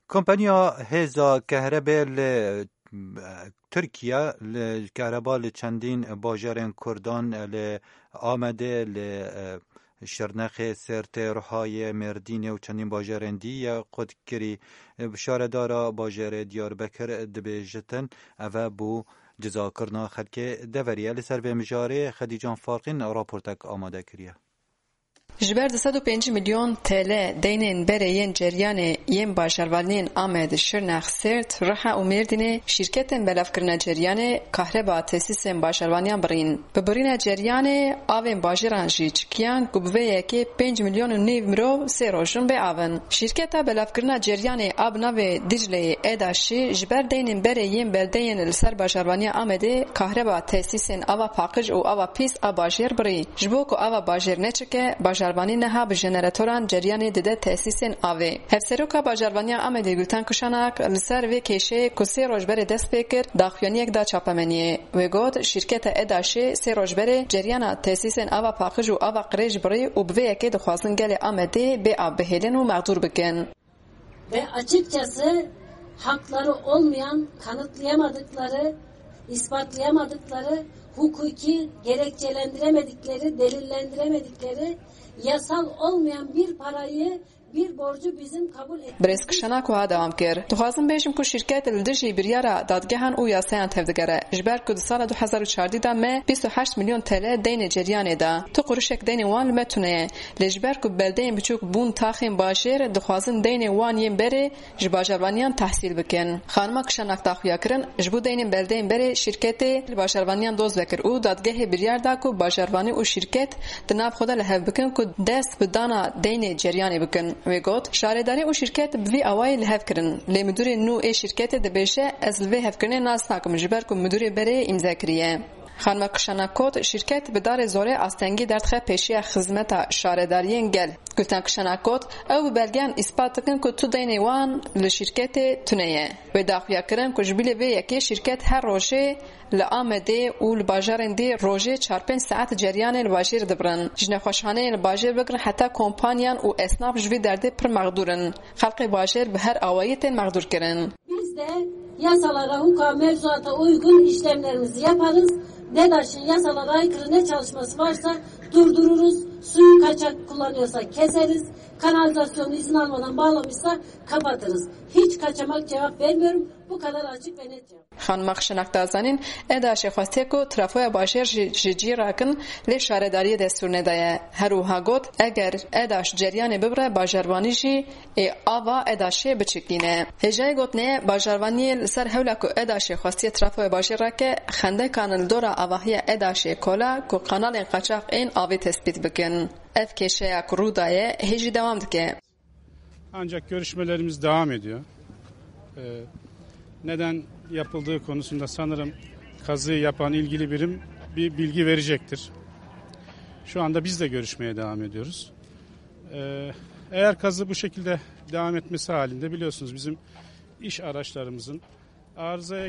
Kompaniya Hêza Kehrebê li, e, Tirkiye li kehreba li çendîn bajarên Kurdan, e, li Amedê, li, e, Şirnexê, Sêrtê, Ruhayê, Mêrdînê û çendîn bajarên dî ye qut kirî. E, şaredara bajarê Diyarbekir dibêjitin, ev e bû cizakirina xelkê deverî ye. Li ser vê mijarê Xedîcan Farqîn raportek amade kiriye. Ji ber du sed û pêncî milyon T L deynên berê yên ceryanê yên bajarvaniyên Amed, Şirnex, Sêrt, Rihe û Mêrdînê şîrketên belavkirina ceryanê kahreba tesîsên bajarvaniyan birîn. Bi birîna ceryanê avên bajêran jî çikiyan ku bi vê yekê pênc milyon û nîv mirov sê roj in bê av in. Şîrketa belavkirina ceryanê a bi navê Dicleyê Eda jî ji ber deynên berê yên beldeyên li ser bajarvaniya Amedê kahreba tesîsên ava paqij û ava pîs a bajêr birî. Ji bo ku ava bajêr neçike, bajarvanî niha bi jeneratoran ceryanê dide tesîsên avê. Hevseroka Bajarvaniya Amedê Gulten Kişanak li ser vê kêşeyê ku sê roj berê dest pê kir, daxuyaniyek da çapemeniyê. Wê got, şîrketa Edaşê sê roj berê ceryana tesîsên ava paqij û ava qirêj birî û bi vê yekê dixwazin gelê Amedê bê av bihêlin û mexdûr bikin. Ve açıkçası hakları olmayan, kanıtlayamadıkları, ispatlayamadıkları, hukuki gerekçelendiremedikleri, delillendiremedikleri, yasal olmayan bir parayı, bir borcu bizim kabul etmemiz. Birêz Kişanak wiha dewam kir, Dixwazim bêjim ku şîrket li dijî biryara dadgehan û yasayan tevdigere. Ji ber ku di sala du hezar û çardî de me bîst û heşt milyon T L deynê ceryanê da. Tu qurişek deynê wan li me tune ye. Lê ji ber ku beldeyên biçûk bûn taxên bajêr, dixwazin deynê wan yên berê ji bajarvaniyan tehsîl bikin. Xanima Kişanak da xuya kirin, ji bo deynên beldeyên berê şîrketê li bajarvaniyan doz vekir û dadgehê biryar da ku bajarvanî û şîrket di nav xwe de li hev bikin ku dest bi dana deynê ceryanê bikin. Wê got, şaredarî û şîrket bi vî awayî li hev kirin. Lê midûrê nû ê şîrketê dibêje, ez li vê hevkirinê nas nakim, ji ber ku midûrê berê îmze kiriye. Xanima Kişanak got, şîrket bi darê zorê astengî derdixe pêşiya xizmeta şaredariyên gel. Gulten Kişanak got, ew bi belgeyan îspat dikin ku tu deynê wan li şîrketê tune ye. Wê daxuya kirin ku ji bilî vê yekê şîrket her rojê li Amedê û li bajarên dî rojê çar pênc saet ceryanê li bajêr dibirin. Ji nexweşxaneyên li bajêr bigirin heta kompaniyan û esnaf ji vî derdê pir mexdûr in. Xelkê bajêr bi her awayî tên mexdûrkirin. Biz de yasalara, hukuka, mevzuata uygun işlemlerimizi yaparız. DEDAŞ'ın yasalara aykırı ne çalışması varsa durdururuz. Suyu kaçak kullanıyorsa keseriz. Kanalizasyonu izin almadan bağlamışsa kapatırız. Hiç kaçamak cevap vermiyorum. Bu kadar açık ve net cevap. Xanima Xişinak da zanîn, Edaşê xwestiye ku trafoya bajêr jî ji cî rakin, lê şaredariyê destûr nedaye. Her wiha got, eger Edaş ceryanê bibire, bajarvanî jî ê ava Edaşê biçikîne. Hêjayê gotinê, bajarvaniyê li ser hewla ku Edaşê xwestiye trafoya bajêr rake, xendekan li dora avahiya Edaşê kola ku kanalên qaçax ên avê tespît bikin. Ev kêşeya ku rû daye, hê jî dewam dike. Ancak görüşmelerimiz devam ediyor. Ee, neden yapıldığı konusunda sanırım kazıyı yapan ilgili birim bir bilgi verecektir. Şu anda biz de görüşmeye devam ediyoruz. Ee, eğer kazı bu şekilde devam etmesi halinde biliyorsunuz bizim iş araçlarımızın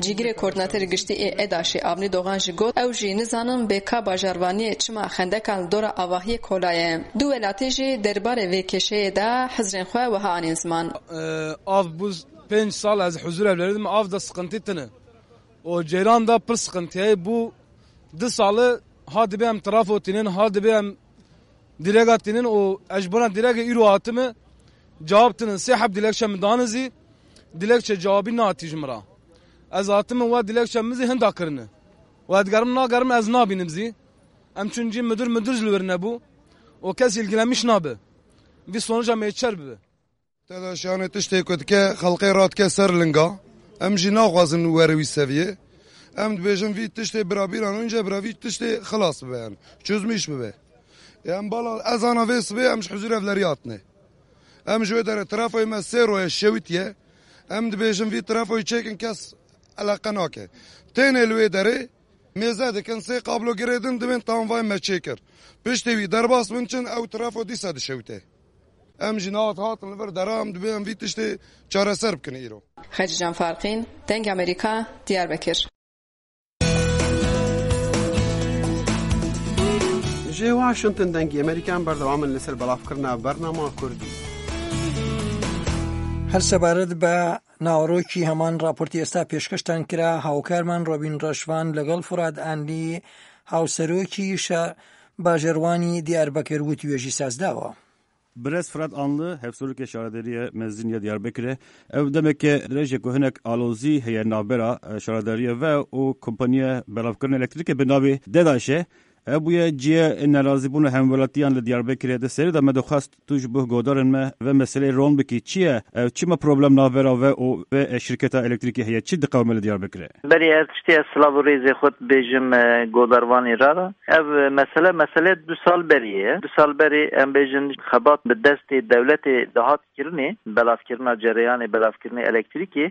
Cîgirê koordînatorê giştî ê Edaşê Avnî Dogan jî got, ew jî nizanin bê ka bajarvaniyê çima xendekan li dora avahiyê kola ye. Du welatî jî derbarê vê kêşeyê de hizrên xwe wiha anîn ziman. Ee, av bu pênc sal ez huzur evleridim, av da sıkıntı tine. O ceyran da pir sıkıntı ye. Bu du salı ha dibe em trafo tinin, ha dibe em direga tinin û ez ji bona direge îro hatime cewab tinin. Sê heb dilekçe min dane zî, dilekçe cewabî nehatî ji min re. Ez hatime we dilekçe min zî hinda kirine. We digerim nagerim ez nabînim zî. Em çûn cî midir, midir ji li wir nebû. O kes ilgilenmiş nabe. Vî sonuca mêçer bibe. Te de şanê tiştê ku dike xelqê radike ser linga. Em jî naxwazin were wî seviyê. Em dibêjin vî tiştê bira bîran înce bira vî tiştê xilas bibe, em çözmîş bibe. Em bala ez ana vê sibê em ji huzûr evlerî hatine. Em ji wê derê trafoyê me sê roye şewitiye. Em dibêjin vî trafoyê çêkin kes eleqe nake. Tênê li wê derê mêze dikin sê qablo girê din dibên tamam vay me çêkir. Piştê wî derbas bin çin ew trafo dîsa dişewite. Em jî nihat hatin li vir dera em dibê em vî tiştê çareser bikin îro. Xecîcan Farqîn, Dengê Amerîka, Diyarbekir. Ji Washington Dengê Amerîkan berdewam in li ser belavkirina bernama Kurdî. هەر سەبارەت بە ناوەڕۆکی هەمان راپۆرتی ئێستا پێشکەشتان کرا، هاوکارمان ڕۆبین ڕەشوان لەگەڵ فورات ئانلی، هاوسەرۆکی شە-، باژێڕوانی دیاربەکر وتوێژی سازداوە. Birêz Firat Anlı, hevserokê Şaredariyê Mezin ya Diyarbekirê, ev demeke dirêj e ku hinek alozî heye navbera, e, şaredariyê ve û kompaniya belavkirina elektrîkê bi navê Dedaşê. Ev bûye cihê nerazîbûna hemwelatiyan li Diyarbekirê. Di serê de me dixwest tu ji bo guhdarên me ve meseleyê ron bikî. Çi ye? Ev çima problem navbera ve û ve, e, şirketa elektrîkê heye? Çi diqewime li Diyarbekirê? Berî her tiştî ez silav û rêzê xwe dibêjim, e, godarvanê re re. Ev, e, mesele, mesele du sal berî ye. Du sal berî em bêjin xebat bi destê dewletê dihat kirinê, belavkirina cereyanê, belavkirinê elektrîkê.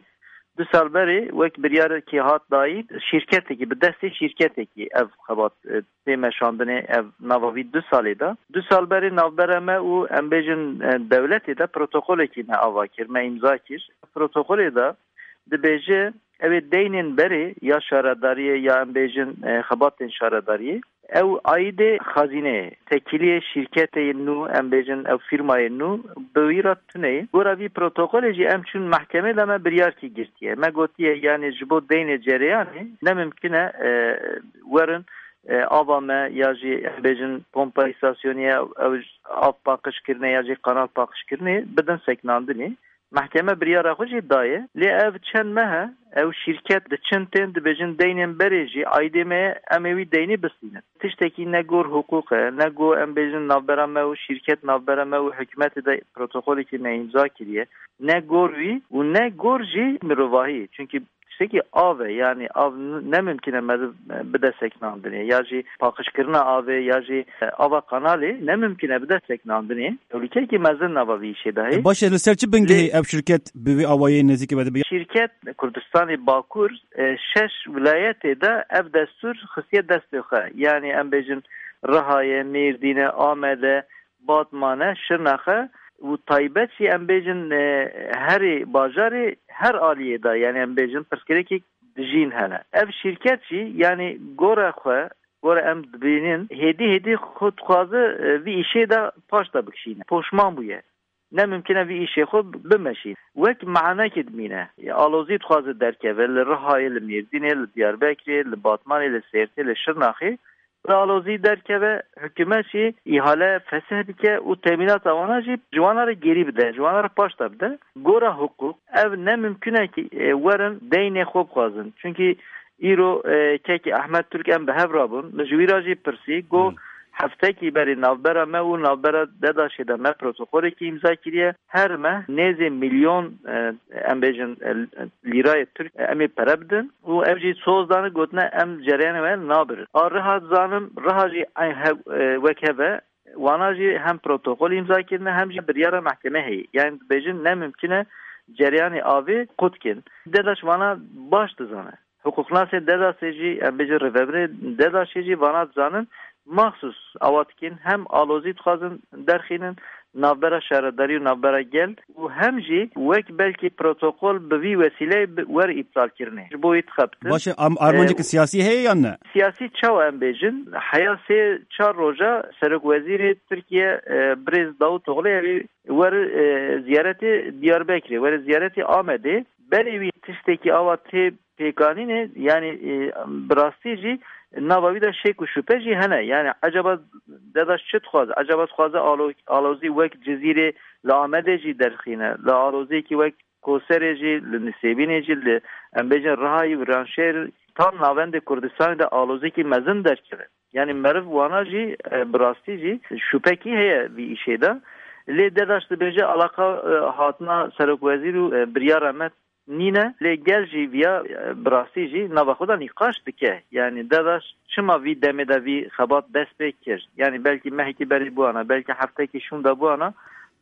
Du sal berê wek biryarekî hat dayîn, şîrketekî, bi destê şîrketekî ev xebat, e, tê meşandinê, ev nava vî du salê de. Du sal berê navbera me û em bêjin, e, dewletê de protokolekî me ava kir, me îmza kir. Protokolê de dibêje, ew ê deynên berê ya şaredariyê ya em bêjin, e, xebatên şaredariyê, ew aîdê xezîneyê, tekîliyê şîrketê nû, em bêjin ew fîrmayê nû, bi wî re tune ye. Gora vî protokolê jî em çûn mehkemê de me biryarkî girtiye. Me gotiye, yanî ji bo deynê cereyanê ne mimkun e, e, werin, e, ava me ya jî em bêjin pompa îstasyonê ew, ew av paqij kirine ya jî kanal paqij kirine bidin seknandinê. Mehkeme biryara xwe jî daye. Lê ev çend meh e, ew şîrket diçin tên dibêjin deynên berê jî aîdê me ye, em ê wî deynî bistînin. Tiştekî ne gor hiqûq e, ne go em bêjin navbera me û şîrket navbera me û hikûmetê de protokolekî me îmza kiriye. Ne gor wî û ne gor jî mirovahî. Çunkî tiştekî av e, yanî av n-, ne mimkun e meriv, e, bide seknandinê, ya jî paqijkirina avê, ya jî, e, ava kanalê ne mimkun e bide seknandinê. Tehlûkeyekî mezin nava vî îşê de heye. Baş e, li ser çi bingehê ev şirket bi vî awayî nêzîkî ve dibe? Şîrket Kurdistanê Bakur, e, şeş wilayetê de ev destûr xistiye destê xwe. Yanî em bêjin Rihayê, Mêrdînê, Amedê, Batmane, Şirnexe û taybet jî em bêjin, e, herê bajarê her aliyê de, yanî em bêjin pirsgirêkek dijîn hene. Ev şîrket jî, yanî gore xwe, gore em dibînin, hêdî hêdî xwe dixwaze, e, vî îşê de paş de bikişîne. Poşman bûye. Ne mimkun e vî îşê xwe bimeşîn. Wek mehanekê dimîne. Alozî dixwaze derkeve li Rihayê, li Mêrdînê, li Diyarbekirê, li Batmanê, li Sêrtê, li Şirnaxê. Bi alozî derkeve, hikûmet jî îhale fesih bike û temînata wana jî ji wana re gerî bide, ji wana re paşta bide. Gora hiqûq, ev ne mimkun e ki, e, werin deynê xwe bixwazin. Çunkî îro, e, kekî Ehmed Turk em bi hev rabûn. Min ji wî re jî pirsî, got, Hmm. Heftekî berî navbera me û navbera Dedaşê de me protokolekî îmza kiriye. Her meh nêzê milyon, e, em bêjin, e, lîrayê Tirk, e, em ê pere bidin û ev jî soz dane gotine em cereyana we nabirin. A Riha dizanim, Riha jî eyn hev-, e, wek hev e. Wana jî hem protokol îmza kirine hem jî biryara mehkemê heye. Yani dibêjin ne mimkun e cereyanê avê qut kin. Dedaş vana baş dizane. Hiqûqnasên Dedaşê jî, em bêjin rêvebirê Dedaşê jî vana dizanin, maxsus awa dikin, hem alozî dixwazin derxînin, navbera şaredarî û navbera gel û hem jî wek belkî protokol bi vî wesîleyê bi-, wer îptal kirinê. Ji bo wî dixebitin. Baş e, am-, armanceke Ee, siyasî heye yan ne? Siyasî çawa em bêjin? Heya sê çar roja Serokwezîrê Tirkiye, e, Birêz Davutoglu ew ê wer, e, ziyaretê Diyarbekirê, wer ziyaretê Amedê. Berê wî tiştekî awa tê pêkanînê, yani, e, bi rastî jî nava wî de şek û şüphe jî hene. Yani, ecaba Dedaş çi dixwaze? Ecaba dixwaze alo-, alozî wek Cizîrê li Amedê jî derxîne, li aloziyekî wek Koserê jî, li Nisêbînê jî, li, em bêjin Rihayî, Viranşehir, tam navendê Kurdistanê de aloziyekî mezin derkeve. Yani meriv wana jî, e, bi rastî jî şüphekî heye vî îşê de. Lê Dedaş dibêje alaqa, e, hatina serokwezîr û, e, biryara me nîne. Lê gel jî viya, e, bi rastî jî nava xwe de nîqaş dike. Yanî DEDAŞ çima vî demê de vî xebat dest pê kir? Yanî belkî mehekî berê bûana, belkî heftekî şûnda bûana,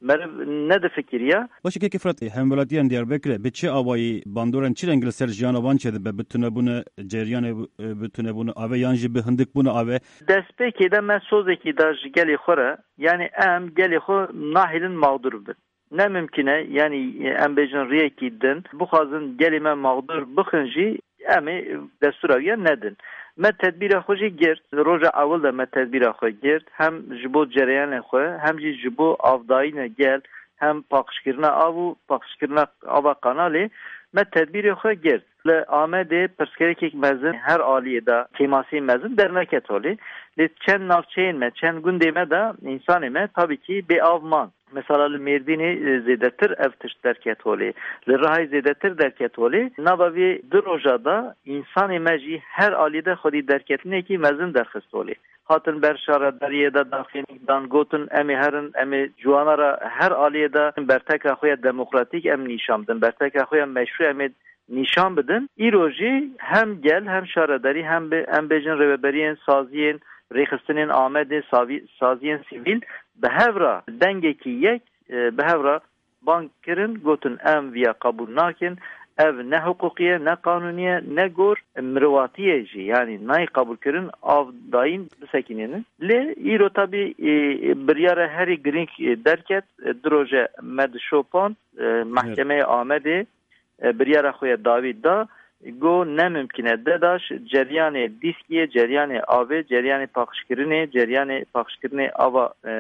meriv nedifikiriya. Baş e, Kekê Firatê, hemwelatiyên Diyarbekirê bi çi awayî bandorên çi rengî li ser jiyana wan çêdibe, bi tunebûna ceriyanê, e, bi tunebûna avê yan jî bi hindikbûna avê? Destpêkê de me sozekî da ji gelê xwe re, yanî em gelê xwe nahêlin mexdûr bin. Ne mimkîn e, yanî em bêjin riyekî din, bixwazin gelê me mexdûr bixin jî, em ê destûra wî ya nedin. Me tedbîra xwe jî girt. Li roja ewil de me tedbîra xwe girt. Hem ji bo cereyanê xwe, hem jî ji bo avdayîna gel, hem paqijkirina av û paqijkirina ava kanalê me tedbîrê xwe girt. Li Amedê pirsgirêkek mezin her aliyê de, kêmasî mezin derneket holê. Lê çend navçeyên me, çend gundê me de însanê me tabî kî bê av man. Mesela li Mêrdînê, e, zêdetir ev tişt derket holê. Li Rihayê zêdetir derket holê. Nava vê du roja de însanê me jî her alî de xwedî derketinekî mezin derxist holê. Hatin ber şaredariyê de daxînik dan, gotin, "Em ê herin, em ê ciwana re her aliyê de berteka xwe ya demokratîk em nîşan bidin, berteka xwe ya meşrû em ê nîşan bidin." Îro jî hem gel, hem şaredarî, hem bi, em bêjin rêveberiyên saziyên rêxistinên Amedê, savî-, saziyên sivîl bi hev re dengekî yek, e, bi hev re bang kirin, gotin, "Em viya qebûl nakin, ev ne hiqûqî ye, ne qanûnî ye, ne gor mirovatî ye jî, yanî nayê qebûlkirin, av dayîn bisekînînin." Lê îro tabî, e, biryara herî girîng, e, derket, e, du roje me di şopan, e, Evet. Mehkemeyê Amedê, e, biryara xwe ya dawî da, got, "Ne mimkîn e, DEDAŞ ceryanê dîskiyê, ceryanê avê, ceryanê paqijkirinê, ceryanê paqijkirinê ava, e,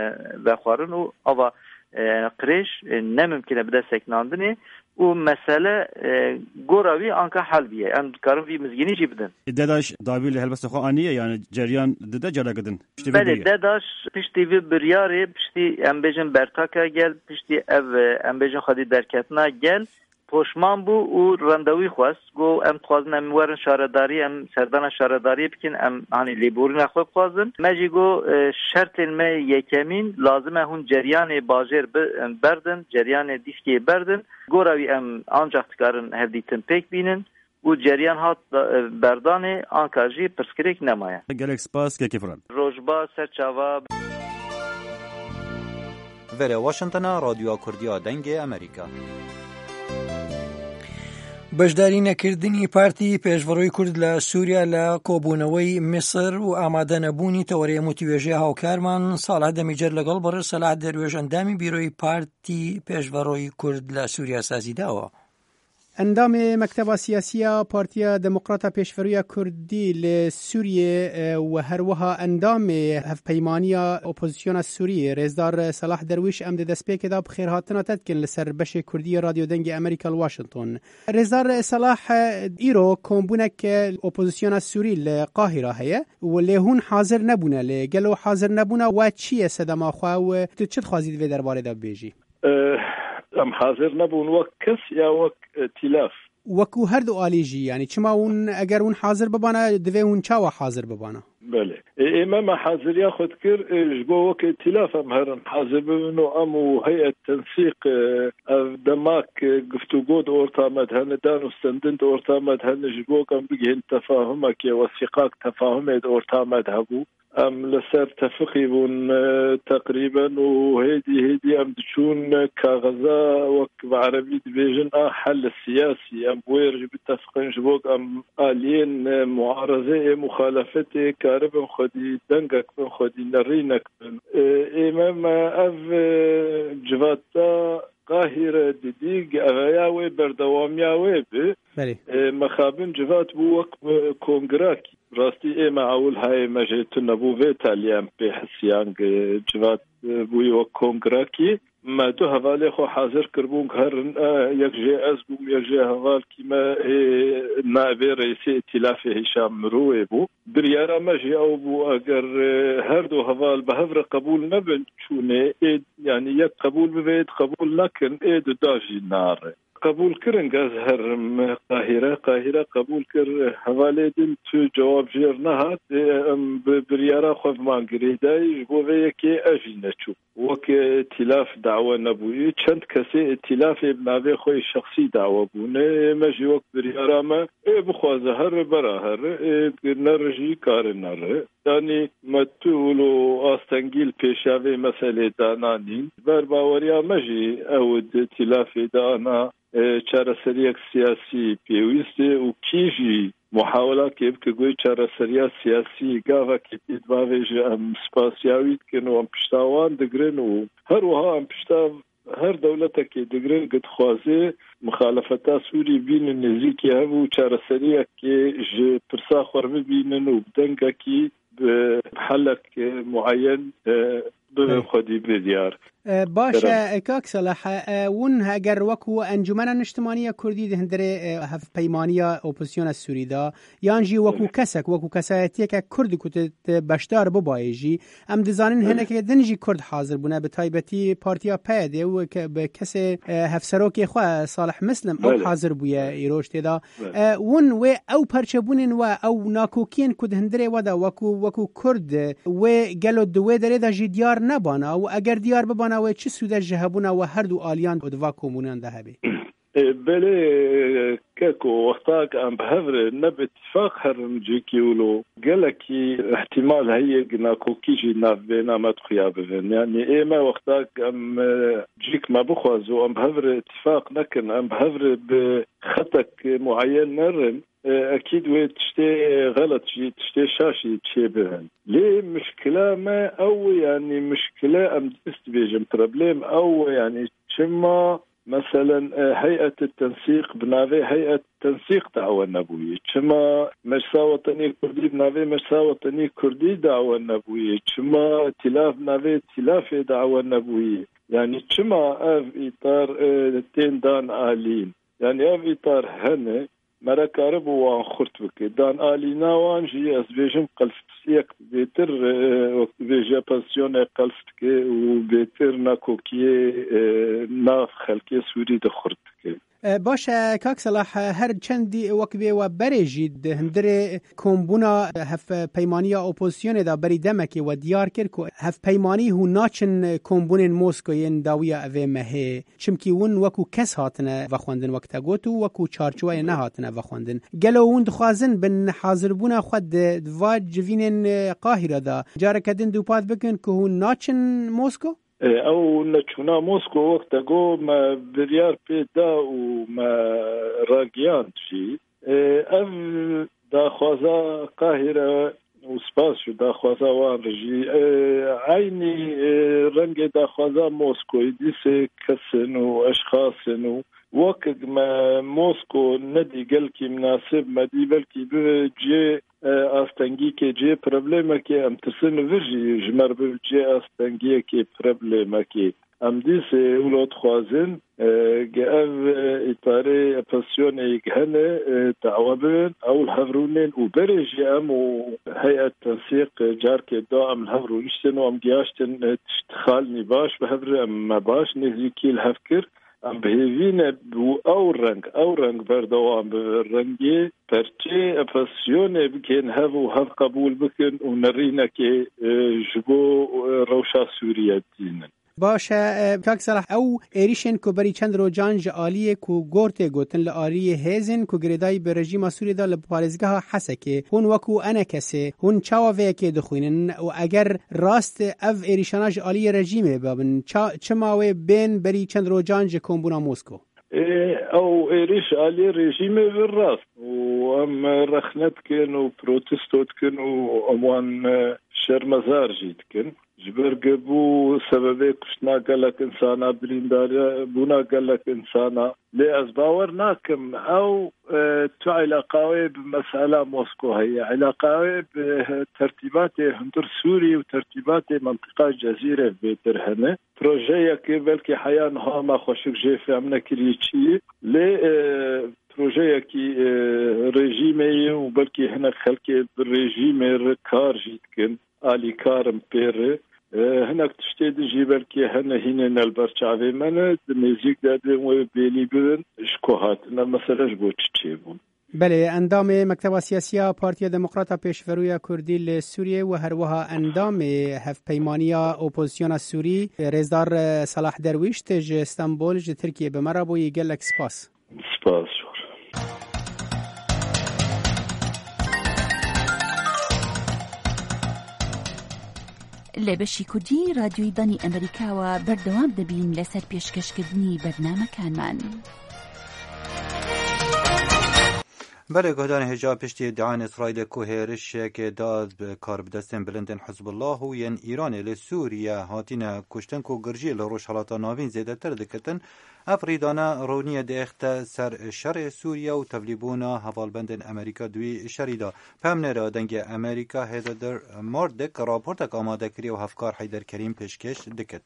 vexwarin û ava, e, qirêj, e, ne mimkîn e bide sekinandinê û mesele, e, gora wî anka hel bûye. Em dikarin vî mizgînî jî bidin." DEDAŞ dawî li helbesta xwe aniye, yanî ceryan dide careke din? Piştî vê Belê, bûye. DEDAŞ piştî vî biryarê, piştî em bêjin bertaka gel, piştî ev, e, em bêjin xwedî derketina gel, poşman bû û randewî xwest. Got, "Em dixwazin em werin şaredarî, em serdana şaredariyê bikin, em hanî lêborîna xwe bixwazin." Me jî got, "E, şertên me yekemîn, lazim e hûn ceryanê bajêr bi-, berdin, ceryanê dîskê berdin. Gora wî em ancax dikarin hevdîtin pêk bînin." Û ceryan hat, e, berdanê, anka jî pirsgirêk nemaye. Gelek spas, Kekê Firat. Roj baş, ser çava. Vere Washingtona, Radyoya Kurdiya Dengê Amerîka. بەشداری نەکردنی پارتی پێشڤڕۆی کورد لە سووریا لە کۆبوونەوەی میسر و ئامادە نەبوونی تەوەرەی موتیوێژەی هاوکارمان ساڵح دەمیجەر لەگەڵ بەڕێز سەلاح دەروێش ئەندامی بیرۆی پارتی پێشڤڕۆی کورد لە سووریا سازی داوە. ئەندامێ مەکتەبا سیاسیە پارتیە دموکراتە پێشڤڕیە کوردی لە سووریە، ئە، و هەروەها ئەندامێ هەڤپەیمانیە ئۆپۆزیسیۆنە سووری، ڕێزدار سەلاح دەرویش، ئەم دە دەست پێکێدا بخێرهاتنە تەتکن لەسەر بەشێ کوردی رادیۆ دەنگی ئەمریکا لە واشنگتۆن. ڕێزدار سەلاح، ئیرۆ کۆمبوونەک ئۆپۆزیسیۆنە سووری لە قاهیرا هەیە و لێ هون حاضر نەبوونە، لێ گەلۆ حاضر نەبوونە و چییە سەدەما خوا و تو چت خوازی دوێ دەربارەدا بێژی؟ ئە، ئەم حاضر نەبوون وەک کەس یا وەک، ئە، تیلاف؟ وەکو هەردوو ئالیژی، یعنی چما ون ئەگەر ون حاضر ببانە، دەوێ ون چاوە حاضر ببانە؟ بەێ. ئێ-، ئێمە مە حاضریا خود کرد، ئێ، ژ بۆ وەک تیلاف ئەم هەرن حاضر ببن و ئەم و هەیئەت تەنسیق، ئێ، ئەو دەماک، ئێ، گفتوگۆ دە ئۆرتامەد هەنە دان و ستەندن دە ئۆرتامەد هەنە ژ بۆ کەم بگهێن تەفاهمەکێ وەسیقاک تەفاهمێ دە ئۆرتامەد هەبوو. ئەم لەسەر تەفقی بوون، ئە، تەقریبەن و هێدی، هێدی ئەم دچوون کاغەزا وەک بە عەرەبی دبێژن ئا حەل سیاسی. ئەم بۆیەر ژ بتەفقن ژ بۆک ئەم ئالیێن، ئە، معارەزە ئێ مخالەفەتێ کاربن خودی دەنگەک بن خودی نەڕینەک بن. ئێ، ئێمە مە ئەڤ، ئە، جڤاتا قاهیرە ددیگ ئەغەیا وێ بەردەوامیا وێ بێ. بەێ. ئێ، مەخابن جڤات بوو وەک، ئە، کۆنگراکی. ڕاستی ئێمە ئەول هایێ مەژێ تو نەبوو ڤێ تالیان پێ حسیانگ جوات بووی وەک کۆنگراکی. مە دو هەڤالێ خۆ حاضر کردبوون کە هەرن، ئە، یەک ژێ ئەز بووم، یەک ژێ هەڤال کیمە، ئێ، نابێ ڕێسێ ئیتیلافێ هیشان مرۆێ بوو. بریارە مەژێ ئەو بوو ئەگەر، ئێ، هەردوو هەڤال بە هەڤرە قبول نەبن چوونێ، ئێ، یعنی یەک قبول ببێت، قبول نەکن، ئێ دو داژی ناڕێ. qebûl kirin, ez herim Qahîre. Qahîre qebûl kir, hevalê din tu cewab jêr nehat. Ê, em bi biryara xwe bi man girêdayî, ji bo vê yekê ez jî neçûm. Wek, e, îtîlaf dawe nebûyî. Çend kesê îtîlafê bi navê xwe yê şexsî dawe bûne. Ê, me jî wek biryara me, ê, bixwaze here, bera here, ê, nere jî kare nere. Yanî me tu wilo astengî li pêşiya vê meselê dananîn. Ji ber baweriya me jî ew di îtîlafê de ana, e, çareseriyek siyasî pêwîst e û kî jî muhawelakê bike ku wê çareseriya siyasî gavekê pê dibavêje, em spasiya wî dikin û em pişta wan digirin û her wiha em pişta her dewletekê digirin ku dixwaze mixalefeta Sûrî bînin nêzîkî hev û çareseriyekê ji pirsa xwe re bibînin û bi dengekî bi helek mueyen, e, bibin Belê. xwedî bi diyar. E, baş Kerem. e, kak Salah, e, hûn heger wekû Encûmena Niştimaniya Kurdî di hundirê, e, hevpeymaniya opozisyona Sûrî de, yan jî wekû Belê. kesek, wekû kesayetiyeke Kurd ku tu, tu beşdar bibayê jî, em dizanin Belê. hinekê din jî Kurd hazir bûne, bi taybetî partiya P Y D û ke-, bi kesê, e, hevserokê xwe Salih Mislim ew Belê. hazir bûye Belê. îroj tê de. Belê. E, hûn wê ew perçebûnên we, ew nakokiyên ku di hundirê we de wekû, wekû Kurd, wê gelo di wê derê de jî diyar nebana û eger diyar bibana wê çi sûde ji hebûna we her du aliyan û di va komûnan de hebe? E, belê, keko, wexta ku em bi hev re ne bi îtîfaq herin cihekî wilo, gelekî îhtîmal heye ku nakokî jî navbêna me di xuya bibin. Yanî ê me wexta ku em, e, cihek me bixwaze û em bi hev re îtîfaq nekin, em bi hev re bi xetek mueyen nerin, e, ekîd wê tiştê xelet jî, tiştê şaş jî çêbibin. Lê mişkila me ew e, yanî mişkile em dest dibêjin, problem ew e, yanî çima, meselen, e, heyet tensîq bi navê heyet tensîq dawe nebûye? Çima Meclisa Wetenî Kurdî bi navê Meclisa Wetenî Kurdî dawe nebûye? Çima îtîlaf bi navê îtîlafê dawe nebûye? Yanî çima ev îtar, e, tên dan alîn? Yanî ev îtar hene, mere karibû wan xurt bike. Dan alîna wan jî, ez dibêjim, qels yek bêtir, e, wek dibêje, pozisyonê qels dike û bêtir nakokiyê, e, nav xelkê Sûrî de xurt dike. E, baş e, kak Selah, e, her çendî wek bê we berê jî di hundirê kombûna, e, hevpeymaniya opozisyonê de berî demekê we diyar kir ku hevpeymanî hûn naçin kombûnên Moskoyê yên dawiya evê mehê. Çimkî hûn wekû kes hatine vexwendin, wek te got, û wekû çarçoweyê nehatine vexwendin. Gelo hûn dixwazin bin hazirbûna xwe di, di va civînên, e, Qahîre de careke din dûpat bikin ku hûn naçin Mosko? E, ew neçûna Mosko, wek te got, me biryar pê da û me ragihand jî. E, ev daxwaza Qahîre û spas ji daxwaza wan re jî, e, eynî, e, rengê daxwaza Moskoyê dîsê kes in û eşxas in û wek me Mosko nedî gelkî minasib, me dî belkî bi cê, e, astengîkê, cê problemekê, em tirsin vir jî ji me re bi cê astengiyekê, problemekê. Em dîsê wilo dixwazin, e, ge ev, e, îtarê, e, pozisyonê yek hene, e, dawa bibin, ew li hev rûnên û berê jî em û heyet tensîq, e, carkê da em li hev rûniştin û em giyaştin, e, tişt xal nî baş bi hev re em me baş nêzîkî li hev kir. Em bi hêvî ne û ew reng, ew reng berdewam bibe. Rengê perçê, e, pozisyonê bikên hev û hev qebûl bikin û nerînekê, e, ji bo, e, rewşa Sûriye dînin. Baş e, e, kak Salah, ew êrîşên ku berî çend rojan ji aliyê ku gor tê gotin li aliyê hêzên ku girêdayî bi rejîma Sûriyê de li parêzgeha Hesekê, hûn wekû enekesê, hûn çawa vê yekê dixwînin û eger rast ev êrîşana ji aliyê rejîmê bibin, ça-, çima wê bên berî çend rojan ji kombûna Mosko? Ê, ew êrîş aliyê rejîmê ve rast û em rexne dikin û protesto dikin û em wan, e, şermezar jî dikin. Ji ber ku bû sebebê kuştina gelek insana, birîndar bûna gelek insana. Lê ez bawer nakim ew, e, tu îlaqa wê bi mesela Mosko heye. Îlaqa wê bi tertîbatê hundir Sûrî û tertîbatê mentiqa Cezîre bêtir hene. Projeyekê belkî heya niha me xweşik jê fêm nekiriye çi ye. Lê, e, projeyekî, e, rejîmê ye û belkî hinek xelkê bi rejîmê re kar jî dikin. Alîkar in pê re. E, hinek tiştê din jî belkî hene hînên li ber çavê me ne, di nêzîk de dê wê bêlî bibin, ji ku hatine, mesele ji bo çi çêbûn. Belê, endamê Mekteba Siyasî ya Partiya Demokrata Pêşverû ya Kurdî li Sûriyê û herwiha endamê Hevpeymaniya Opozisyona Sûrî, Rêzdar Salah Derwîş, tê ji Stenbol, ji Tirkiyê bi me re bûyî. Gelek spas. Spas. لە بەشی کوردی رادیۆی دەنی ئەمریکاوە بەردەوام دەبین لەسەر پێشکەشکردنی بەرنامەکانمان. Belê guhdarên hêja, piştî îdiayên Îsraîlê ku hêrişekê da bi karbidestên bilind ên Hizbullah û yên Îranê li Sûriye hatine kuştin ku girjiyê li Rojhelata Navîn zêdetir dikitin, ev rîdane rûniyê diêxte ser şerê Sûriye û tevlîbûna hevalbendên Amerîka di wî şerî de. Peyamnêra Dengê Amerîka Heather Murdock raportek amade kiriye û Hevkar Heyder Kerîm pêşkêş dikit.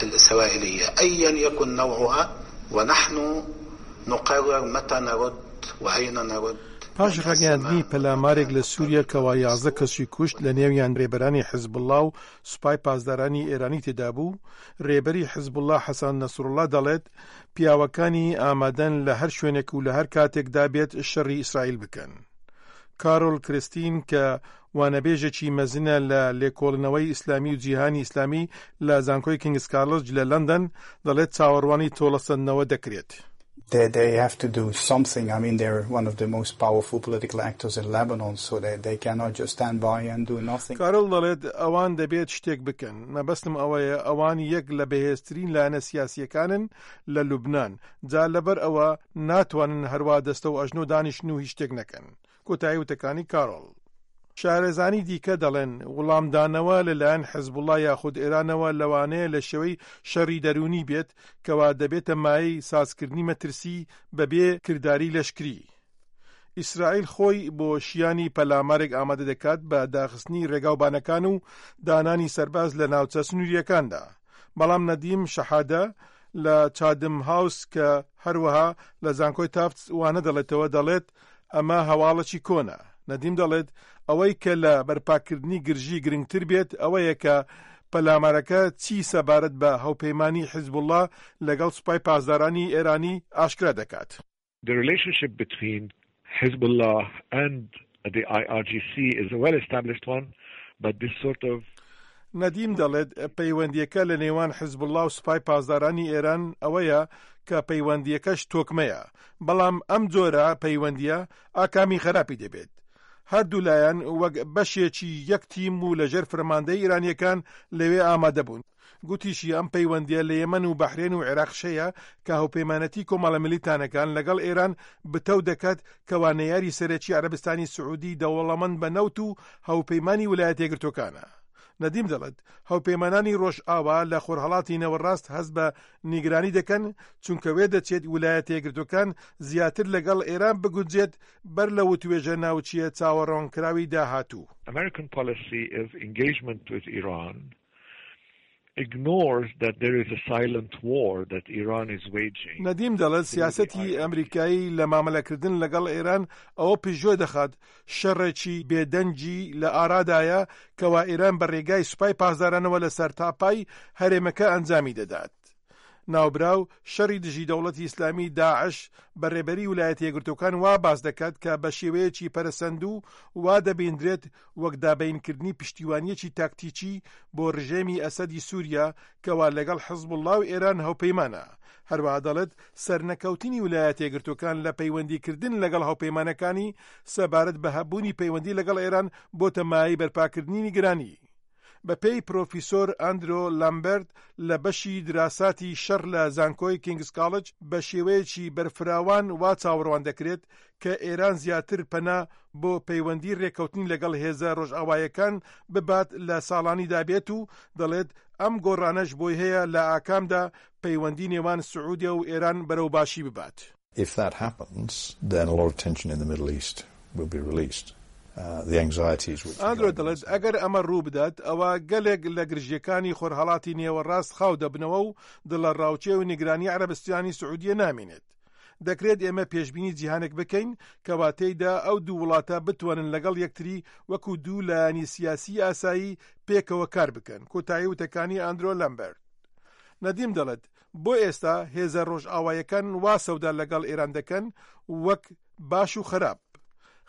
الإسرائيلية أيا يكن نوعها، ونحن نقرر متى نرد وأين نرد. Paş ragihandinî pelamarek li Sûriye kewa yazdeh kesî kuşt, li nêwiyan rêberanî Hizbullah û Supay Pasdaranî Êranî têda bû, rêberî Hizbullah Hesen Nesrullah dalet, piyawekanî amaden li her şwênek û li her katek da bêt şerî Îsraîl bikin. Carol Christine, ke wanebêjekî mezin e li Lêkolînewey Îslamî û Cîhanî Îslamî li Zankoyê King's College li London, dalet çawerwanî tolesandnewe dekirêt. They, they have to do something. I mean, they're one of the most powerful political actors in Lebanon, so they, they cannot just stand by and do nothing. Carol dalet ewan debêt ştêk bikin. Mebestim ewe ye, ewan yek li bihêztirîn layene siyasiyekân in li Lubnan. Ca leber ewe natwanin herwa destew ajno danişin û hîç ştêk nekin. Kotayî û tekanî Carol. Şarezanî dîke delên, wilamdanewe li layen Hizbullah yaxud Îranewe lewane li şewey şerî derûnî bêt, kewa debête mayey sazkirdinî metirsî bebê kirdarî leşkirî. Îsraîl xwey bo şiyanî pelamarek amade dikat bi daxistinî rêga û banekan û dananî serbaz li navçe sinûrîyekan de. Belam Nedîm Şehade li Chatham House ke her wiha li Zankoy Tufts wane delêtewe delêt, eme hewalekî kon e. Nedîm delêt, ewey ke li berpakirdinî girjî giringtir bêt, ewe ye ke pelamareke çî sebaret bi hewpeymanî Hizbullah legel Supay Pasdaranî Êranî aşkera dekat. The relationship between Hezbollah and the I R G C is a well-established one, but this sort of Nedîm delêt, peywendiyeke li nêwan Hizbullah û Supay Pasdaranî Êran ewe ye ke peywendiyeke ji tokme ye. Belam em cora peywendiye a kamî xerapî dibêt. Her du layan wek beşekî yek tîm û li jêr fermandeyê Îraniyekan li wê amade bûn. Gotî jî, em peywendiye li Yemen û Behrên û Iraq şeye ke hewpeymanetî Komala Milîtanekan legel Êran bi tew deket kewa neyarî serekî Erebistanî Siûdî dewlemend be newt û hewpeymanî Wilayetê Yekgirtokan e. Nedîm delêt, hewpeymananî Rojava li Xurhalatî Nêwerast hez bi nîgiranî dikin, çunke wê diçêt Wilayetê Yekgirtokan ziyatir legel Êran biguncêt ber li witwêje navçiyê çaweronkirawî dahatû. American policy of engagement with Iran ignores that there is a silent war that Iran is waging. Nedîm delêt, siyasetî Emerîkayî li mamelekirdin legel Êran ew pêşiyo dixat, şerekî bêdengî li arada ye kewa Êran bi rêgay Supay Pasdaranê we li sertapay herêmeke encamî didat. Navbiraw, şerî dijî Dewletî Îslamî, DAIŞ, bi rêberî Wilayetê Yekgirtokan wa bas diket ke bi şêweyekî peresendû wa dibîndirêt wek dabeyinkirdinî piştîwaniyekî taktîkî bo rejêmî Esedî Sûriye kewa legel Hizbullah û Êran hewpeyman e. Herwiha delêt, sernekewtînî Wilayetê Yekgirtokan li peywendîkirdin legel hewpeymanekanî sebaret bi hebûnî peywendî legel Êran bote mayeyî berpakirdinî nîgiranî. Bi pey Profesor Andrew Lambert li beşî dirasatî şer li Zankoyê King's College bi şêweyekî berfirawan wa çawerwan dekirêt ke Êran ziyatir pena bo peywendî rêkewtinî legel hêze rojavayekan bibat li salanî dabêt û delêt, em gorane ji bo heye li akam de peywendî nêwan Siûdiye û Êran berew başî bibat. If that happens, then a lot of tension in the Middle East will be released. Uh, the anxieties which Andrew delêt, eger eme rû bidat, ewa gelek li girjiyekanî Xurhalatî Nêwerast xaw debineve û di li rawçê û nîgiranî Erebistanî Siûdiyê namînêt. دەکرێت ئێمە پێشبینی جیهانێک بکەین کەوا تێیدا ئەو دوو وڵاتە بتوانن لەگەڵ یەکتری وەکو دوو لایەنی سیاسی ئاسایی پێکەوە کار بکەن. کۆتایی وتەکانی ئاندرۆ لەمبەرت. نەدیم دەڵێت، بۆ ئێستا هێزە ڕۆژئاوایەکان وا سەودا لەگەڵ ئێران دەکەن وەک باش و خراپ.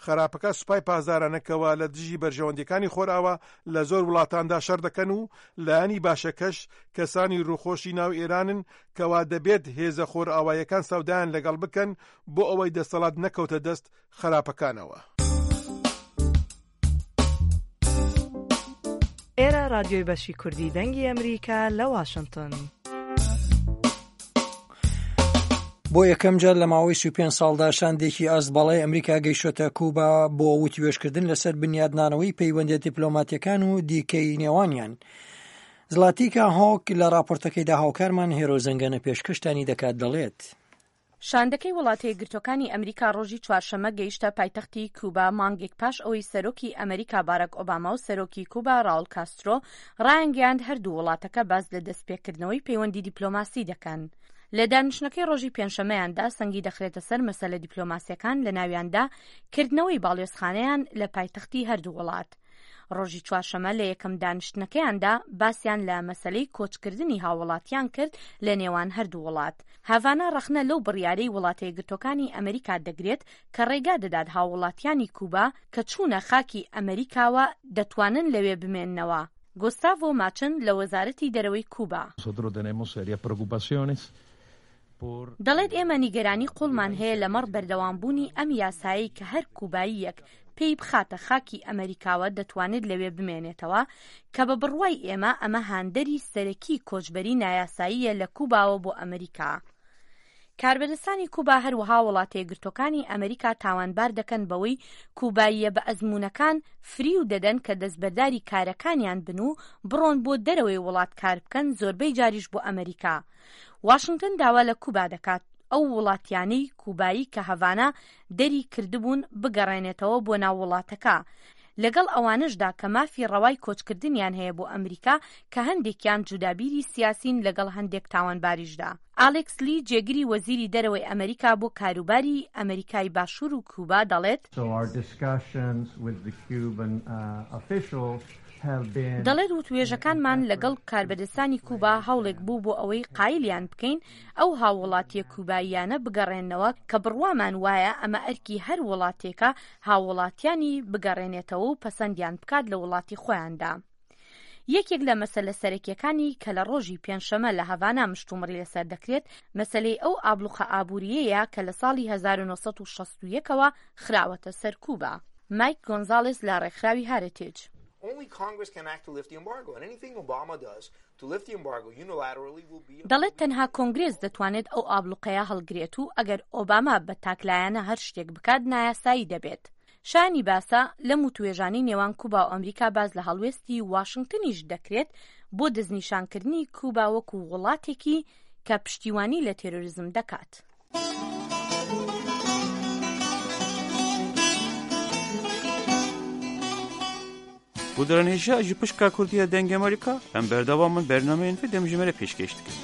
خراپەکە سوپای پاسدارانە کەوا لە دژی بەرژەوەندیەکانی خۆرئاوا لە زۆر وڵاتاندا شەر دەکەن و لایەنی باشەکەش کەسانی ڕووخۆشی ناو ئێرانن کەوا دەبێت هێزە خۆرئاوایەکان سەودایان لەگەڵ بکەن بۆ ئەوەی دەستەڵات نەکەوتە دەست خراپەکانەوە. ئێرە رادیۆی بەشی کوردی دەنگی ئەمریکا لە واشنگتن. بۆ یەکەم جار لە ماوەی سی و پێنج ساڵدا شاندێکی ئاست باڵای ئەمریکا گەیشتۆتە کوبا بۆ وتیوێژکردن لەسەر بنیادنانەوەی پەیوەندە دیپلۆماتیەکان و دیکەی نێوانیان. زلاتیکا هۆک لە راپۆرتەکەیدا هاوکارمان هێرۆ زەنگەنە پێشکەشتانی دەکات، دەڵێت. شاندەکەی وڵاتە یەکگرتوەکانی ئەمریکا ڕۆژی چوارشەممە گەیشتە پایتەختی کوبا، مانگێک پاش ئەوەی سەرۆکی ئەمریکا باراک ئۆباما و سەرۆکی کوبا راول کاسترۆ ڕایانگەیاند هەردوو وڵاتەکە باز لە دەستپێکردنەوەی پەیوەندی دیپلۆماسی دەکەن. لە دانیشتنەکەی ڕۆژی پێنجشەممەیاندا سەنگی دەخرێتە سەر مەسەلە دیپلۆماسیەکان، لە ناویاندا کردنەوەی باڵیۆزخانەیان لە پایتەختی هەردوو وڵات. ڕۆژی چوارشەممە لە یەکەم دانیشتنەکەیاندا باسیان لە مەسەلەی کۆچکردنی هاووڵاتیان کرد لە نێوان هەردوو وڵات. هاڤانا ڕەخنە لەو بڕیارەی وڵاتە یەکگرتوەکانی ئەمریکا دەگرێت کە ڕێگا دەدات هاووڵاتیانی کوبا کە چوونە خاکی ئەمریکاوە دەتوانن لەوێ بمێننەوە. گۆستاڤۆ ماچن لە وەزارەتی دەرەوەی کوبا. دەڵێت ئێمە نیگەرانی قوڵمان هەیە لەمەڕ بەردەوامبوونی ئەم یاسایەی کە هەر کوباییەک پێی بخاتە خاکی ئەمریکاوە دەتوانێت لەوێ بمێنێتەوە، کە بە بڕوای ئێمە ئەمە هاندەری سەرەکی کۆچبەری نایاساییە لە کوباوە بۆ ئەمریکا. کاربەدەستانی کوبا هەروەها وڵاتە یەکگرتوەکانی ئەمریکا تاوانبار دەکەن بەوەی کوباییە بە ئەزموونەکان فریو دەدەن کە دەستبەرداری کارەکانیان بن و بڕۆن بۆ دەرەوەی وڵات کار بکەن، زۆربەی جاریش بۆ ئەمریکا. واشنگتن داوا لە کوبا دەکات ئەو وڵاتیانەی کوبایی کە هەڤانا دەری کردبوون بگەڕێنێتەوە بۆ ناو وڵاتەکە، لەگەڵ ئەوانەشدا کە مافی ڕەوای کۆچکردنیان هەیە بۆ ئەمریکا، کە هەندێکیان جودابیری سیاسین لەگەڵ هەندێک تاوانباریشدا. ئالێکس لی، جێگری وەزیری دەرەوەی ئەمریکا بۆ کاروباری ئەمریکای باشوور و کوبا، دەڵێت. So our discussions with the Cuban, uh, officials have been دەڵێت وتوێژەکانمان لەگەڵ کاربەدەستانی کوبا هەوڵێک بوو بۆ ئەوەی قایلیان بکەین ئەو هاووڵاتیە کوباییانە بگەڕێننەوە کە بڕوامان وایە ئەمە ئەرکی هەر وڵاتێکە هاووڵاتیانی بگەڕێنێتەوە و پەسەندیان بکات لە وڵاتی خۆیاندا. یەکێک لە مەسەلە سەرەکیەکانی کە لە ڕۆژی پێنجشەممە لە هەڤانا مشتومڕی لەسەر دەکرێت، مەسەلەی ئەو ئابلوقە ئابووریەیە کە لە ساڵی هەزار و نۆ سەد و شەست و یەکەوە خراوەتە سەر کوبا. مایک گۆنزالێس لە ڕێکخراوی هارتێج. Only Congress can act to lift the embargo, and anything Obama does to lift the embargo unilaterally will be. دەڵێت تەنها کۆنگرێس دەتوانێت ئەو ئابلوقەیە هەڵگرێت و ئەگەر ئۆباما بە تاکلایەنە هەر شتێک بکات، نایاسایی دەبێت. شایانی باسە، لەم وتوێژانەی نێوان کوبا و ئەمریکا باز لە هەڵوێستی واشنگتنیش دەکرێت بۆ دەستنیشانکردنی کوبا وەکو وڵاتێکی کە پشتیوانی لە تێرۆریزم دەکات. Guhdarên hêja ji pişka Kurdiya Dengê Amerîka, em berdewam in bernameyên vê dem ji me re pêşkêş dikin.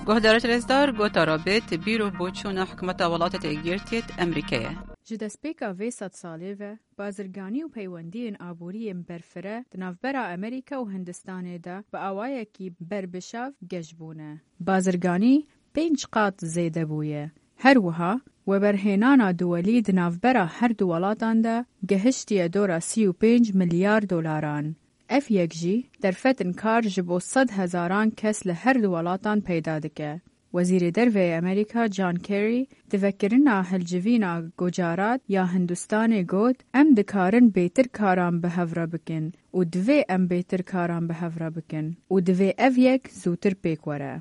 Guhdarêt rêzdar, gotara bêt bîr û boçûna hikûmeta Welatêt Êkgirtiyêt Emerîkeyê. Ji destpêka vê sedsalê ve, bazirganî û peywendiyên aboriyên berfireh di navbera Amerîka û Hindistanê de bi awayekî berbişav geş bûne. Bazirganî pênc qat zêde bûye. Her wiha, weberhênana duwelî di navbera her du welatan de gehiştiye dora sî û pênc milyar dolaran. Ev yek jî derfetên kar ji bo sed hezaran kes li her du welatan peyda dike. Wezîrê Derve yê Amerîka John Kerry di vekirina hilcivîna Gujarat ya Hindistanê got, em dikarin bêtir karan bi hev re bikin û divê em bêtir karan bi hev re bikin û divê ev yek zûtir pêk were.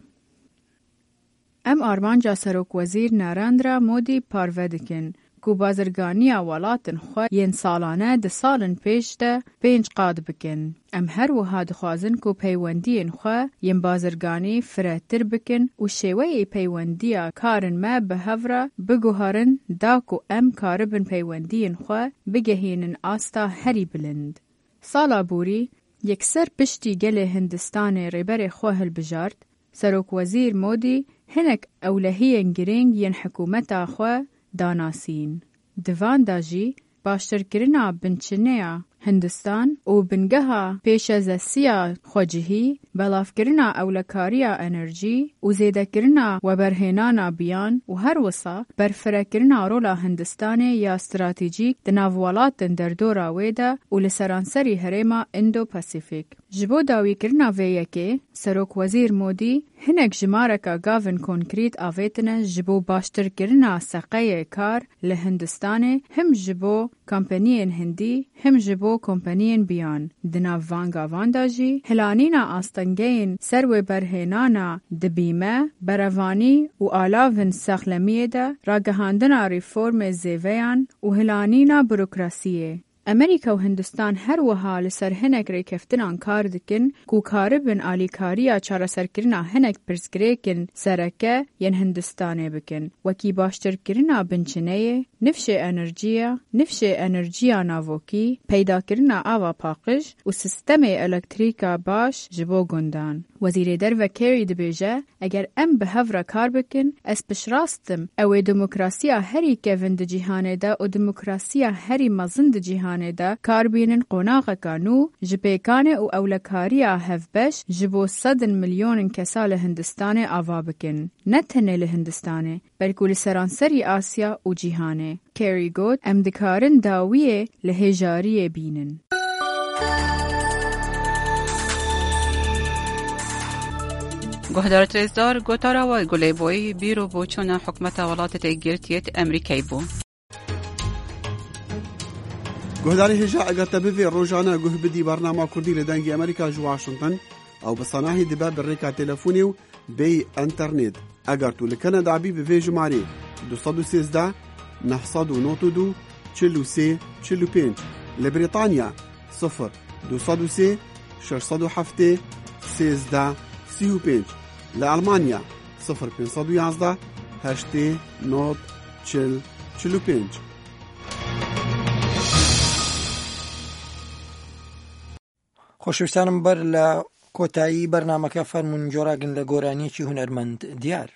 Em armanca Serokwezîr Narendra Modî parve dikin ku bazirganiya welatên xwe yên salane di salên pêş de pênc qat bikin. Em her wiha dixwazin ku peywendiyên xwe yên bazirganî firehtir bikin û şêweyê peywendiya karên me bi hev re biguherin da ku em karibin peywendiyên xwe bigehînin asta herî bilind. Sala borî, yekser piştî gelê Hindistanê rêberê xwe hilbijart, Serokwezîr Modî hinek ewlehiyên girîng yên hikûmeta xwe danasîn. Di van de jî baştirkirina binçineya Hindistan û bingeha pêşezesiya xwecihî, belavkirina ewlekariya enerjî û zêdekirina weberhênana biyan û her wisa berfirekirina rola Hindistanê ya stratejîk di nav welatên derdora wê de û li seranserî herêma Indo-Pasifik. Ji bo dawîkirina vê yekê, Serokwezîr Modî hinek jimareka gavên konkrît avêtine ji bo baştirkirina seqeyê kar li Hindistanê, him ji bo kompaniyên hindî, him ji bo kompaniyên biyan. Di nav van gavan de jî hilanîna astengeyên ser wê berhênana di bîme, berevanî û alavên saxlemiyê de, ragihandina reformê zêveyan û hilanîna burokrasiyê. Amerîka û Hindistan her wiha li ser hinek rêkeftinan kar dikin ku karibin alîkariya çareserkirina hinek pirsgirêkên sereke yên Hindistanê bikin, wekî baştirkirina binçineyê, nifşê enerjiya, nifşê enerjiya navokî, peydakirina ava paqij û sistemê elektrîka baş ji bo gundan. Wezîrê Derve Kerry dibêje, Eger em bi hev re kar bikin, ez piştrast im, ew ê demokrasiya herî kevin di cîhanê de û demokrasiya herî mezin di cîhanê de kar bînin qonaxeka nû ji pêkanê û ewlekariya hevbeş ji bo sedin milyonên kesa li Hindistanê ava bikin. Ne tenê li Hindistanê, belkû li seranserî Asya û cîhanê. Kerry got, Em dikarin dawiyê li hêjariyê bînin. Guhdarêt rêzdar, gotara we Gulê Boyî bîr û boçûna hikûmeta Welatê Yekgirtiyê Amerîkayê bû. Guhdarê hêja, eger te bivê rojane guh bidî bernama Kurdî li Dengê Amerîka ji Washington, ew bi sanahî dibe bi rêka telefonê û bêyî enternet. Eger tu li Kanada bî, bi vê jimarê du sed û sêzdeh, neh sed û nod û du, çil û sê, çil û pênc, li Brîtanya, sifir du sed û sê, şeş sed û heftê, sêzdeh, sî û pênc, li Elmanya, sifir pênc sed û yazdeh, heştê, nod, çil, çil û pênc. Xweşwîstanim, ber li kotayî bernameke fermûn, cora gin li goraniyekî hunermend diyar.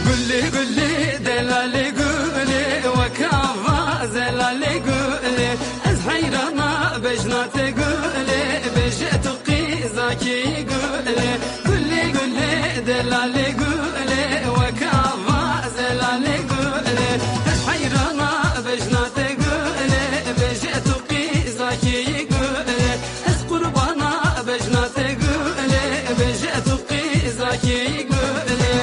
Gulê, gulê, delalê gulê, wek ava zelalê gulê. Ez heyrana bejna te gulê, bêje tu qîzakî gulê. Gulê, gulê, delalê gulê, wek ava zelalê gulê. Ez heyrana bejna te gulê, bêje tu qîzakî gulê. Ez qurbana bejna te gulê, bêje tu qîzakî gulê.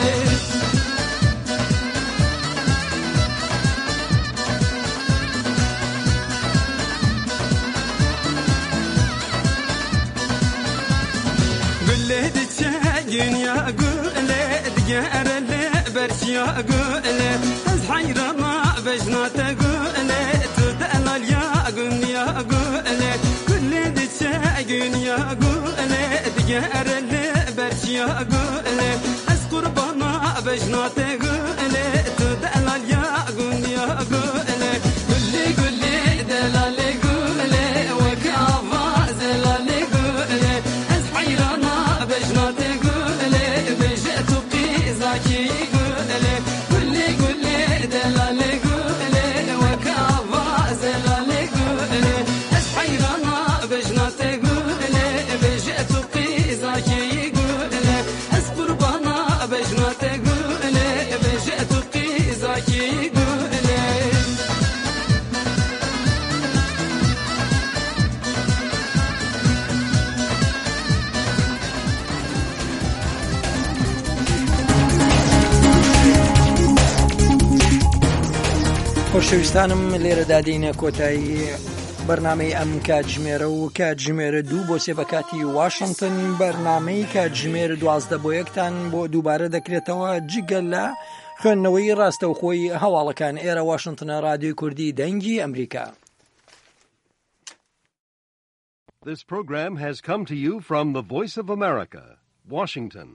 Gulê diçe ginya gulê, digere li berçiya gulê. Ez heyrana bejna te gulê, tu delal ya gunya gulê. Gulê diçe ginya gulê, digere li berçiya gulê. Ez qurbana bejna te gulê, tu delal ya gunya gulê. Gulê, gulê, delalê gulê, wek ava zelalê gulê. Ez heyrana bejna te gulê, bêje tu qîzakî gulê. Gulê, gulê, delalê gulê, wek ava zelalê gulê. Ez heyrana bejna te gulê, bêje tu qîzakî gulê. Ez qurbana bejna te gulê, خۆشەویستانم، لێرەدا دێینە کۆتایی بەرنامەی ئەم کاتژمێرە و کاتژمێرە دوو بۆ سێ بە کاتی واشنگتن، بەرنامەی کاتژمێر دوازدە بۆ یەکتان بۆ دووبارە دەکرێتەوە، جگە لە خوێندنەوەی ڕاستەوخۆی هەواڵەکان. ئێرە واشنگتنە، ڕادیۆی کوردی دەنگی ئەمریکا. This program has come to you from the Voice of America, Washington.